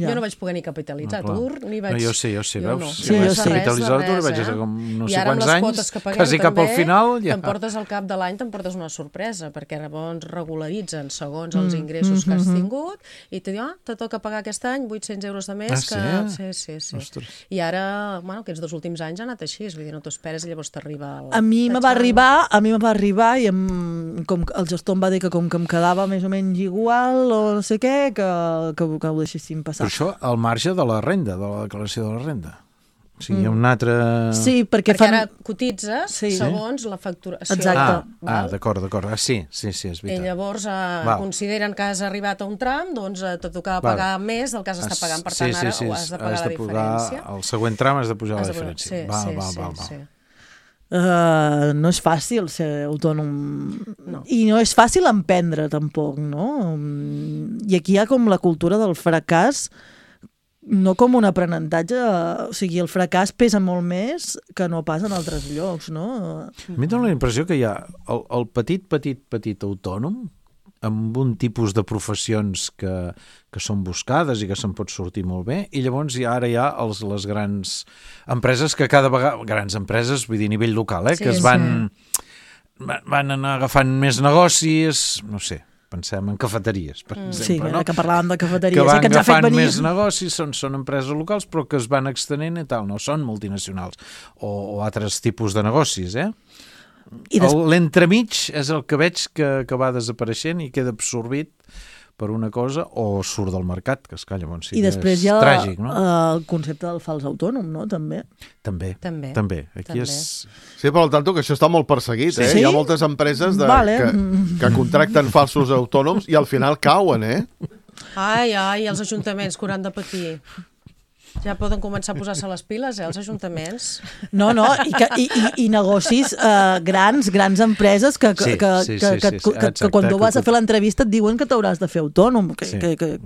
Jo no vaig poder ni capitalitzar atur, ni vaig... Jo sí, veus? Jo vaig capitalitzar l'atur, vaig estar com no sé quants anys, quasi cap al final... T'emportes al cap de l'any, t'emportes una sorpresa, perquè llavors regularitzen segons els ingressos que has tingut, i te diu, te toca pagar aquest any 800 euros de més que... Sí. I ara, aquests 2 últims anys ha anat així, vull dir, no t'ho esperes i llavors t'arriba... A mi me va arribar i com el gestor em va dir que com que em quedava més o menys igual o no sé què, que ho deixéssim passar. Però això al marge de la renda, de la declaració de la renda. O sigui, hi ha un altre... Sí, perquè ara cotitzes segons la facturació. Exacte. D'acord. Sí, és veritat. I llavors consideren que has arribat a un tram, doncs te tocava pagar més del que has estat pagant, per tant ara ho has de pagar la diferència. El següent tram has de pujar la diferència. Sí. No és fàcil ser autònom i no és fàcil emprendre tampoc, no? I aquí hi ha com la cultura del fracàs, no com un aprenentatge, o sigui, el fracàs pesa molt més que no pas en altres llocs, no? A mi dóna la impressió que hi ha el petit autònom amb un tipus de professions que són buscades i que se'n pot sortir molt bé, i llavors ara hi ha les grans empreses que cada vegada, grans empreses, vull dir a nivell local, que es van anar agafant més negocis, no sé, pensem en cafeteries, per exemple, no? Que parlàvem de cafeteries, que van que ens ha fet agafant venir... més negocis, són empreses locals, però que es van extenent i tal, no són multinacionals, o altres tipus de negocis, L'entremig és el que veig que va desapareixent i queda absorbit per una cosa o surt del mercat, que esclar, llavors sí I després hi ha tràgic, no? El concepte del fals autònom, no? També. Aquí és... Sí, però al tanto que això està molt perseguit, eh? Sí? Hi ha moltes empreses que contracten falsos autònoms i al final cauen, eh? Ai, els ajuntaments que hauran de patir. Ja poden començar a posar-se les piles, els ajuntaments. No, i negocis grans empreses que quan tu vas a fer l'entrevista et diuen que t'hauràs de fer autònom, que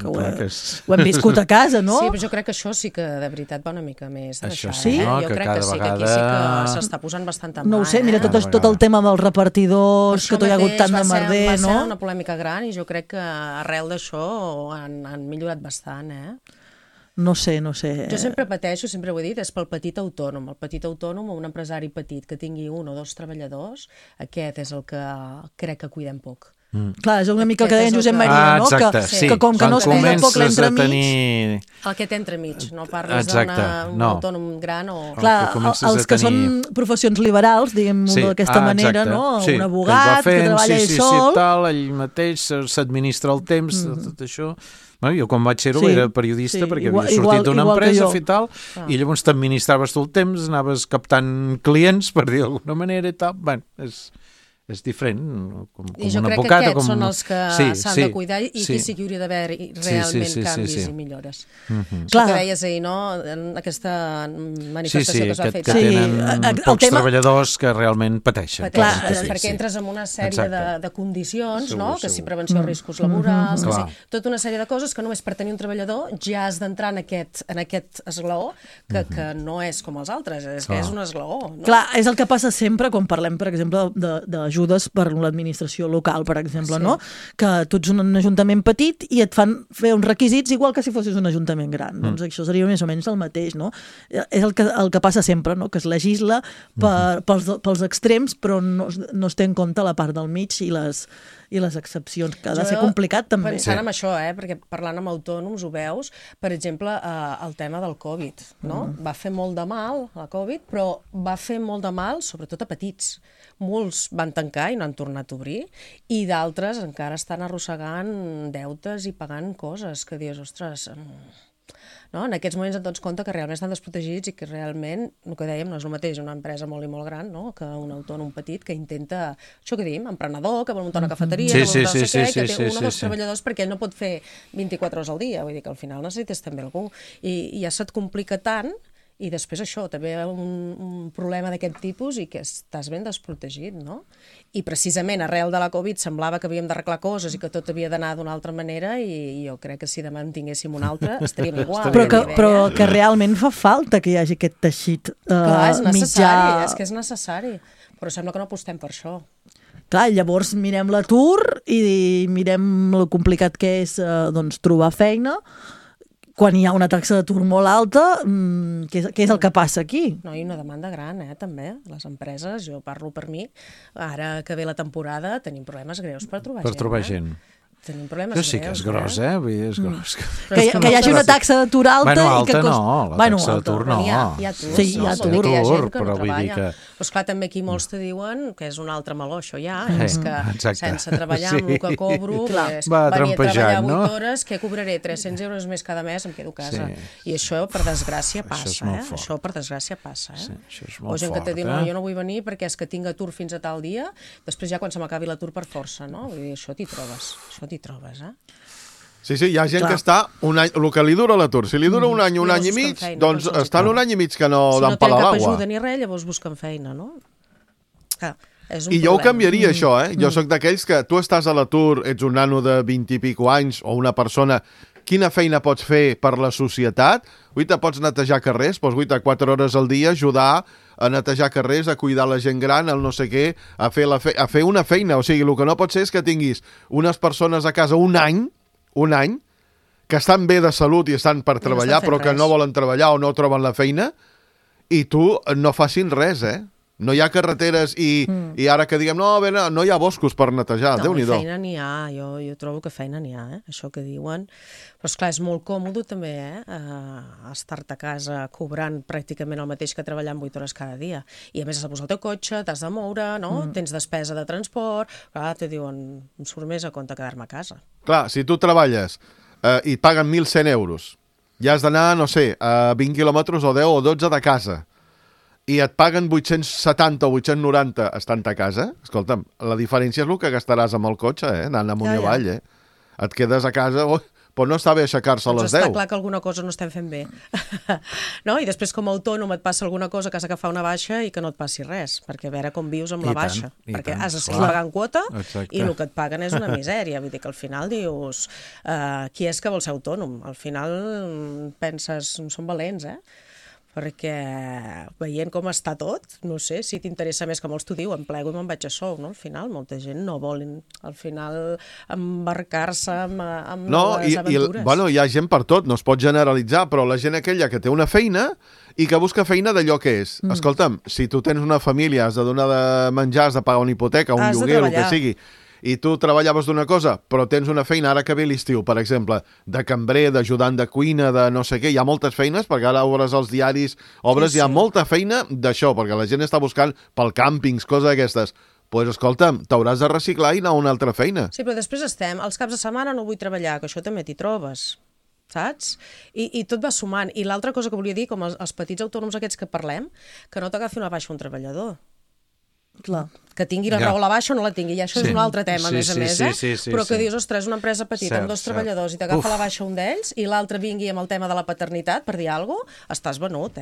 ho hem viscut a casa, no? Sí, però jo crec que això sí que de veritat va una mica més d'això. Sí? Jo crec que sí, que aquí sí que s'està posant bastant en mà. No ho sé, mira, tot el tema dels repartidors, que tot hi ha hagut tant de merder, no? Va ser una polèmica gran i jo crec que arrel d'això han millorat bastant, No sé. Jo sempre pateixo, sempre ho he dit, és pel petit autònom. El petit autònom o un empresari petit que tingui 1 o 2 treballadors, aquest és el que crec que cuidem poc. Clar, és una mica el que deia en Josep Maria, no? Que com que no es cuida poc l'entremig... El que té entremig, no parles d'un autònom gran o... Clar, els que són professions liberals, diguem-ho d'aquesta manera, no? Un abogat que treballa ell sol... Ell mateix s'administra el temps, tot això... Jo quan vaig ser-ho era periodista perquè havia sortit d'una empresa i tal, i llavors t'administraves tu el temps, anaves captant clients, per dir d'alguna manera i tal. Bé, és diferent, com un advocat. I jo crec que aquests són els que s'han de cuidar i que sí que hauria d'haver realment canvis i millores. Això que deies ahir, no? Aquesta manifestació que s'ha fet. Que tenen pocs treballadors que realment pateixen. Clar, perquè entres en una sèrie de condicions, no? Que si prevenció de riscos laborals, tota una sèrie de coses que només per tenir un treballador ja has d'entrar en aquest esglaó que no és com els altres, és que és un esglaó. Clar, és el que passa sempre quan parlem, per exemple, d'ajudes per l'administració local, per exemple, no? Que tu ets un ajuntament petit i et fan fer uns requisits igual que si fossis un ajuntament gran. Doncs això seria més o menys el mateix, no? És el que passa sempre, no? Que es legisla pels extrems, però no es té en compte la part del mig i les excepcions, que ha de ser complicat també. Pensant en això, perquè parlant amb autònoms ho veus, per exemple, el tema del Covid, no? Va fer molt de mal, la Covid, però va fer molt de mal, sobretot a petits. Molts van tancar i no han tornat a obrir, i d'altres encara estan arrossegant deutes i pagant coses que dius, ostres... No? En aquests moments et dones compte que realment estan desprotegits i que realment, el que dèiem, no és el mateix una empresa molt i molt gran, no? Que un autònom petit que intenta, això que diem, emprenedor, que vol muntar una cafeteria, que vol muntar que té 1 o 2 treballadors perquè ell no pot fer 24 hores al dia, vull dir que al final necessites també algú, i ja se't complica tant. I després això, també un problema d'aquest tipus i que estàs ben desprotegit, no? I precisament arrel de la Covid semblava que havíem d'arreglar coses i que tot havia d'anar d'una altra manera i jo crec que si demà en tinguéssim una altra estaríem igual. Però que realment fa falta que hi hagi aquest teixit clar, és necessari, és que és necessari, però sembla que no apostem per això. Clar, llavors mirem l'atur i mirem el complicat que és trobar feina, quan hi ha una taxa d'atur molt alta, què és el que passa aquí? No, i una demanda gran, també. Les empreses, jo parlo per mi, ara que ve la temporada tenim problemes greus per trobar gent. Per trobar gent. Tenim problemes greus. Sí que és gros, Vull dir, és gros. Que hi hagi una taxa d'atur alta... Alta no, la taxa d'atur no. Hi ha atur, sí, hi ha atur, però vull dir que... Però esclar, també aquí molts te diuen que és un altre meló, això ja, és que sense treballar amb el que cobro, venir a treballar 8 hores, què cobraré? 300 euros més cada mes, em quedo a casa. I això, per desgràcia, passa, Això, per desgràcia, passa, O gent que te diu, no, jo no vull venir perquè és que tinc atur fins a tal dia, després ja quan se m'acabi l'atur per força, no? Vull dir, això t'hi trobes, Sí, hi ha gent que està un any, el que li dura l'atur, si li dura un any i mig, doncs estan un any i mig que no dan pal a l'aigua. Si no tenen cap ajuda ni res, llavors busquen feina, no? I jo ho canviaria, això, Jo soc d'aquells que tu estàs a l'atur, ets un nano de 20 i pico anys o una persona, quina feina pots fer per la societat? Pots netejar carrers, pots 4 hores al dia ajudar a netejar carrers, a cuidar la gent gran, el no sé què, a fer una feina. O sigui, el que no pot ser és que tinguis unes persones a casa un any, que estan bé de salut i estan per treballar, però que no volen treballar o no troben la feina, i tu no facin res, No hi ha carreteres i ara que diguem, no hi ha boscos per netejar, Déu-n'hi-do. No, feina n'hi ha, jo trobo que feina n'hi ha, això que diuen. Però esclar, és molt còmode també, estar-te a casa cobrant pràcticament el mateix que treballant 8 hores cada dia. I a més has de posar el teu cotxe, t'has de moure, no? Tens despesa de transport, clar, te diuen, em surt més a compte quedar-me a casa. Clar, si tu treballes i et paguen 1.100 euros i has d'anar, no sé, a 20 quilòmetres o 10 o 12 de casa, i et paguen 870 o 890 estant a casa, escolta'm, la diferència és el que gastaràs amb el cotxe, anant amunt i avall, Et quedes a casa, però no està bé aixecar-se a les 10. Està clar que alguna cosa no estem fent bé. No? I després, com a autònom, et passa alguna cosa que has d'agafar una baixa i que no et passi res, perquè a veure com vius amb la baixa. Perquè has de seguir pagant quota i el que et paguen és una misèria. Vull dir que al final dius, qui és que vol ser autònom? Al final penses, són valents, perquè veient com està tot, no sé, si t'interessa més, que molts t'ho diuen, em plego i me'n vaig a sou, no? Al final, molta gent no vol, al final, embarcar-se amb noves aventures. Bueno, hi ha gent per tot, no es pot generalitzar, però la gent aquella que té una feina i que busca feina d'allò que és. Escolta'm, si tu tens una família, has de donar de menjar, has de pagar un hipoteca, un lloguer, el que sigui, i tu treballaves d'una cosa, però tens una feina, ara que ve l'estiu, per exemple, de cambrer, d'ajudant de cuina, de no sé què, hi ha moltes feines, perquè ara obres els diaris, hi ha molta feina d'això, perquè la gent està buscant pel càmpings, coses d'aquestes. Doncs, escolta'm, t'hauràs de reciclar i anar a una altra feina. Sí, però després els caps de setmana no vull treballar, que això també t'hi trobes, saps? I tot va sumant. I l'altra cosa que volia dir, com els petits autònoms aquests que parlem, que no t'agafi una baixa un treballador. Clar. Que tingui la raó a la baixa o no la tingui, i això és un altre tema, a més a més, però que dius, ostres, una empresa petita amb 2 treballadors i t'agafa la baixa un d'ells i l'altre vingui amb el tema de la paternitat, per dir alguna cosa, estàs venut,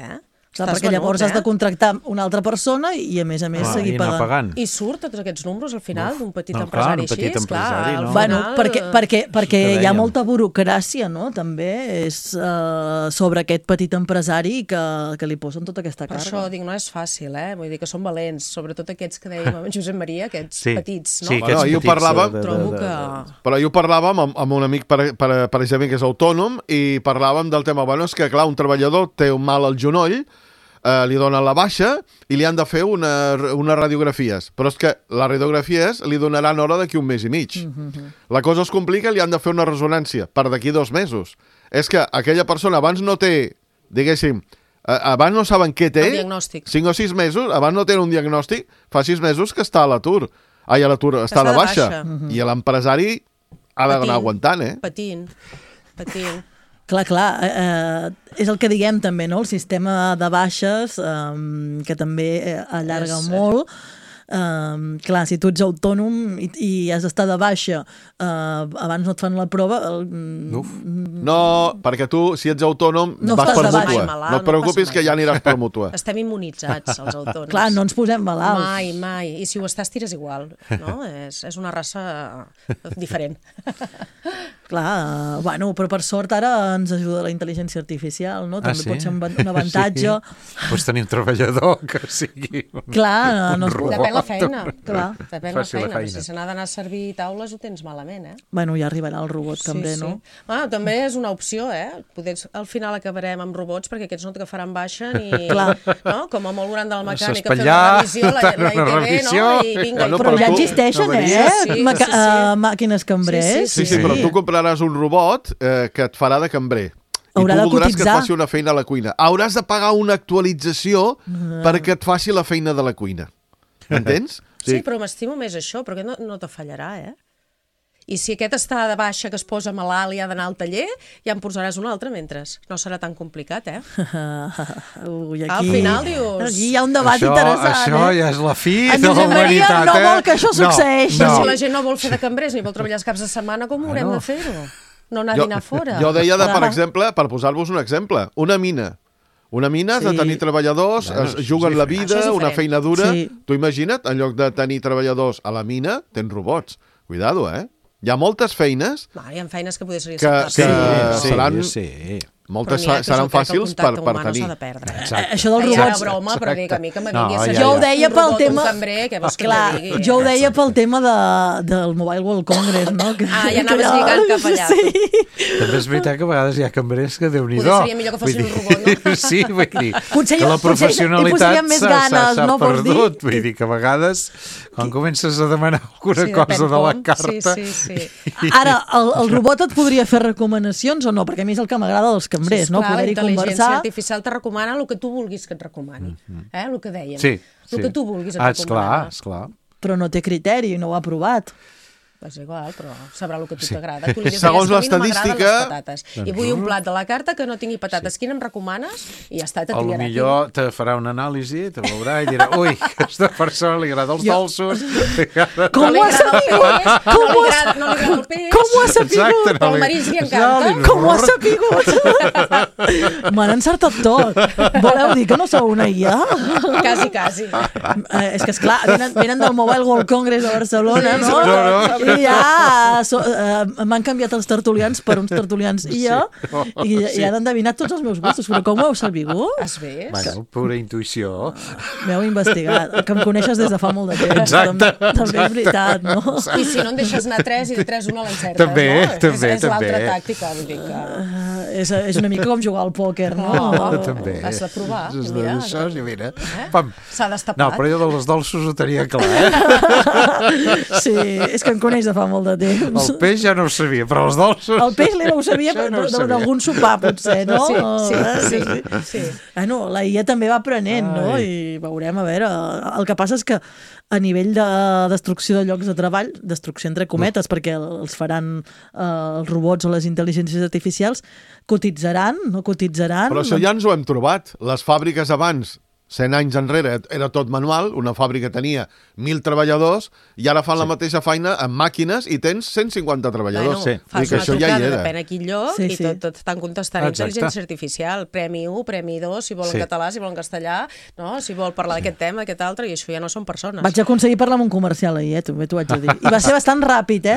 Clar, perquè llavors has de contractar una altra persona i a més seguir pagant. I surt tots aquests números al final d'un petit empresari així, clar. Bueno, perquè hi ha molta burocràcia, no?, també, és sobre aquest petit empresari que li posen tota aquesta càrrega. Per això dic, no és fàcil, vull dir que són valents, sobretot aquests que dèiem amb Josep Maria, aquests petits, no? Sí, aquests petits. Però jo parlàvem amb un amic, per exemple, que és autònom, i parlàvem del tema, bueno, és que clar, un treballador té un mal al genoll, li donen la baixa i li han de fer unes radiografies. Però és que les radiografies li donaran hora d'aquí un mes i mig. La cosa es complica, li han de fer una ressonància per d'aquí 2 mesos. És que aquella persona abans no té, diguéssim, abans no saben què té, 5 o 6 mesos, abans no tenen un diagnòstic, fa 6 mesos que està a l'atur. Està a la baixa. I l'empresari ha d'anar aguantant, Patint. Clar, és el que diguem també, no? El sistema de baixes, que també allarga molt. Clar, si tu ets autònom i has d'estar de baixa, abans no et fan la prova... No, perquè tu, si ets autònom, vas per mútua. No et preocupis que ja aniràs per mútua. Estem immunitzats, els autònoms. Clar, no ens posem malalts. Mai. I si ho estàs, tires igual, no? És una raça diferent. Clar, bueno, però per sort ara ens ajuda la intel·ligència artificial, no? També pot ser un avantatge. Pots tenir un treballador que sigui Clar, no depèn la feina. Depèn la feina. Si se n'ha d'anar a servir taules ho tens malament, Bueno, ja arribarà el robot també, no? Bueno, també és una opció, Poder al final acabarem amb robots perquè aquests no t'agafaran baixa ni... No? Com a molt gran del mecànic a fer una revisió, la ITV, no? I vinga. Però ja existeixen, màquines cambrers. Sí, però tu compraràs un robot que et farà de cambrer. Haurà de cotitzar. I tu voldràs que et faci una feina a la cuina. Hauràs de pagar una actualització perquè et faci la feina de la cuina. M'entens? Sí, però m'estimo més això, perquè no te fallarà, I si aquest està de baixa, que es posa malalt i ha d'anar al taller, ja en posaràs un altre mentre. No serà tan complicat, Al final dius... Aquí hi ha un debat interessant, Això ja és la fi de la humanitat, Maria no vol que això succeeixi. Però si la gent no vol fer de cambrers ni vol treballar els caps de setmana, com haurem de fer-ho? No anar a dinar fora. Jo deia, per exemple, per posar-vos un exemple, una mina. Una mina has de tenir treballadors, es juguen la vida, una feina dura. Tu imagina't, en lloc de tenir treballadors a la mina, tens robots. Cuidado, Hi ha moltes feines... Hi ha feines que poder ser seran Moltes seran fàcils per tenir. Això dels robots... broma, però dic, a mi que me vingui jo ho deia pel tema... Clar, jo ho deia pel tema del Mobile World Congress, no? Ja anaves lligant cap allà. També és veritat que a vegades hi ha cambrers que Déu-n'hi-do. Potser seria millor que fossin un robot, no? Sí, vull dir, que la professionalitat s'ha perdut. Vull dir que a vegades, quan comences a demanar alguna cosa de la carta... Ara, el robot et podria fer recomanacions o no? Perquè a mi és el que m'agrada dels cambrers, no? Poder-hi conversar. La intel·ligència artificial te recomana el que tu vulguis que et recomani. El que dèiem. El que tu vulguis et recomana. Esclar. Però no té criteri, no ho ha provat. És igual, però sabrà el que tu t'agrada. Segons l'estadística... I vull un plat de la carta que no tingui patates. Quin em recomanes? I ja està, te triarà. Potser te farà una anàlisi, te veurà i dirà ui, a aquesta persona li agrada els dolços. Com ho ha sapigut? No li agrada el peix. Com ho ha sapigut? Però el marisc li encanta. Com ho ha sapigut? M'han encertat tot. Voleu dir que no sou una IA? Quasi. És que, esclar, venen del Mobile World Congress a Barcelona, no? I m'han canviat els tertulians per uns tertulians i han endevinat tots els meus gustos, però com ho heu sabut? Has vist? Bueno, pura intuïció. M'heu investigat, que em coneixes des de fa molt de temps. Exacte. També és veritat, no? I si no en deixes anar 3 i de 3 una l'encertes, també, no? També. És l'altra tàctica, vull dir que... És una mica com jugar al pòquer, no? També. Has de provar. Mira. S'ha destapat. No, però jo dels dolços ho tenia clar, Sí, és que em coneix de fa molt de temps. El peix ja no ho sabia, però els dolços... El peix ho sabia d'algun sopar, potser, no? Sí. Bueno, la IA també va aprenent, no? I veurem, a veure... El que passa és que a nivell de destrucció de llocs de treball, destrucció entre cometes, perquè els faran els robots o les intel·ligències artificials, cotitzaran, no cotitzaran... Però això ja ens ho hem trobat. Les fàbriques abans... 100 anys enrere era tot manual, una fàbrica tenia 1.000 treballadors i ara fan la mateixa feina amb màquines i tens 150 treballadors. Fas una trucada, depèn a quin lloc, i tot estan contestant intel·ligència artificial. Premi 1, Premi 2, si vol en català, si vol en castellà, no? Si vol parlar d'aquest tema, d'aquest altre, i això ja no són persones. Vaig aconseguir parlar amb un comercial ahir, també t'ho vaig dir. I va ser bastant ràpid,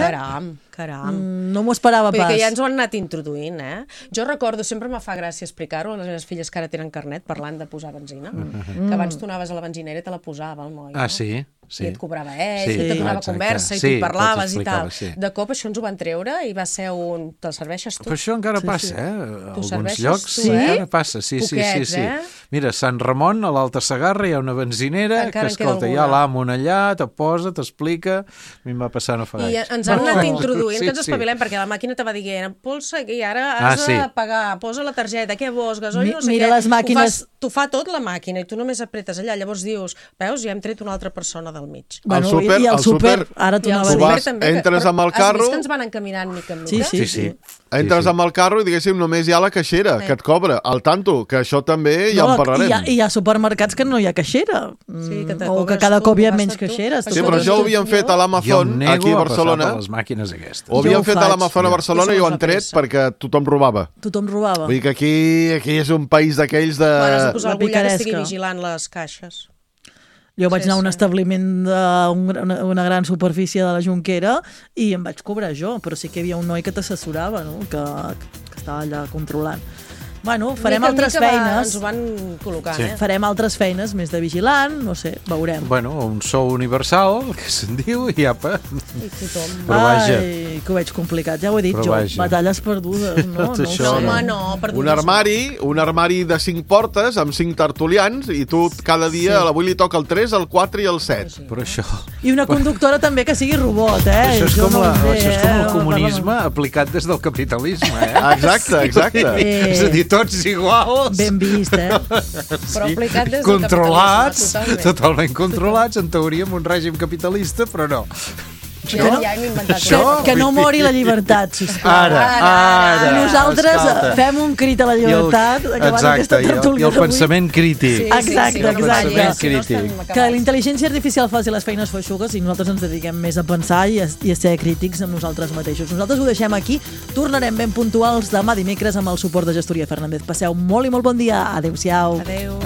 Caram. No m'ho esperava pas. Perquè ja ens ho han anat introduint, Jo recordo, sempre me fa gràcia explicar-ho a les meves filles que ara tenen carnet parlant de posar benzina, que abans tu anaves a la benzinera i te la posava el noi. Sí. I et cobrava i te donava conversa i tu parlaves i tal. De cop això ens ho van treure i va ser un... Te'l serveixes tu? Però això encara passa, A alguns llocs encara passa, sí. Mira, a Sant Ramon, a l'Alta Segarra, hi ha una benzinera que, escolta, hi ha l'amo allà, te posa, t'explica... A mi em va passar no fa gaire. I ens han anat introduint, que ens espavilem, perquè la màquina te va dient, polsa, i ara has de pagar, posa la targeta, què vols, gasoil, no sé què. Mira les màquines... T'ho fa tot la màquina i tu només apretes allà. Llavors dius, veus, ja hem tret una altra persona del mig. Bueno, i el súper, ara tu anaves a dir. Entres amb el carro... Has vist que ens van encaminant mica en mica? Sí. Entres amb el carro i, diguéssim, només hi ha la caixera que et cobra. Al tanto, que això també ja en parlarem. I hi ha supermercats que no hi ha caixera. O que cada cop hi ha menys caixeres. Sí, però això ho havien fet a l'Amazon, aquí a Barcelona. Les màquines aquestes. Ho havien fet a l'Amazon a Barcelona i ho han tret perquè tothom robava. Vull dir que aquí és un país d'aquells de... Bueno, suposo algú ja estigui vigilant les caixes. Jo vaig anar a un establiment d'una gran superfície de la Jonquera i em vaig cobrar jo, però sí que hi havia un noi que t'assessorava, no? que estava allà controlant. Bueno, farem altres feines. Ens ho van col·locant, Farem altres feines, més de vigilant, no sé, veurem. Bueno, un sou universal, que se'n diu, i apa. I tothom. Però vaja. Ai, que ho veig complicat, ja ho he dit jo. Batalles perdudes, no? Un armari de 5 portes amb 5 tertulians i tu cada dia a l'avui li toca el 3, el 4 i el 7. Però això... I una conductora també que sigui robot, Això és com el comunisme aplicat des del capitalisme, Exacte. És a dir, tots iguals. Ben vist, Però aplicat des del controlats, totalment controlats, en teoria amb un règim capitalista, però no. Que no mori la llibertat, sisplau. Ara. Nosaltres fem un crit a la llibertat. Exacte, i el pensament crític. Exacte. Crític. Que la intel·ligència artificial faci les feines feixugues i nosaltres ens dediquem més a pensar i a ser crítics amb nosaltres mateixos. Nosaltres ho deixem aquí. Tornarem ben puntuals demà dimecres amb el suport de Gestoria Fernández. Passeu molt i molt bon dia. Adéu-siau. Adéu.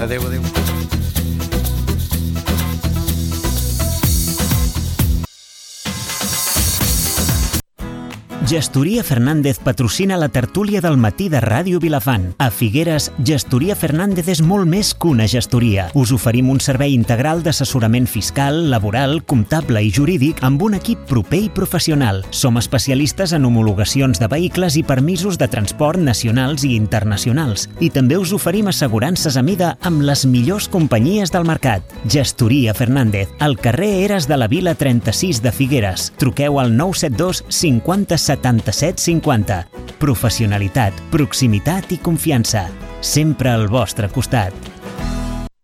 Gestoria Fernández patrocina la tertúlia del matí de Ràdio Vilafant. A Figueres, Gestoria Fernández és molt més que una gestoria. Us oferim un servei integral d'assessorament fiscal, laboral, comptable i jurídic amb un equip proper i professional. Som especialistes en homologacions de vehicles i permisos de transport nacionals i internacionals. I també us oferim assegurances a mida amb les millors companyies del mercat. Gestoria Fernández, al carrer Eres de la Vila 36 de Figueres. Truqueu al 972 50 77 50. Professionalitat, proximitat i confiança. Sempre al vostre costat.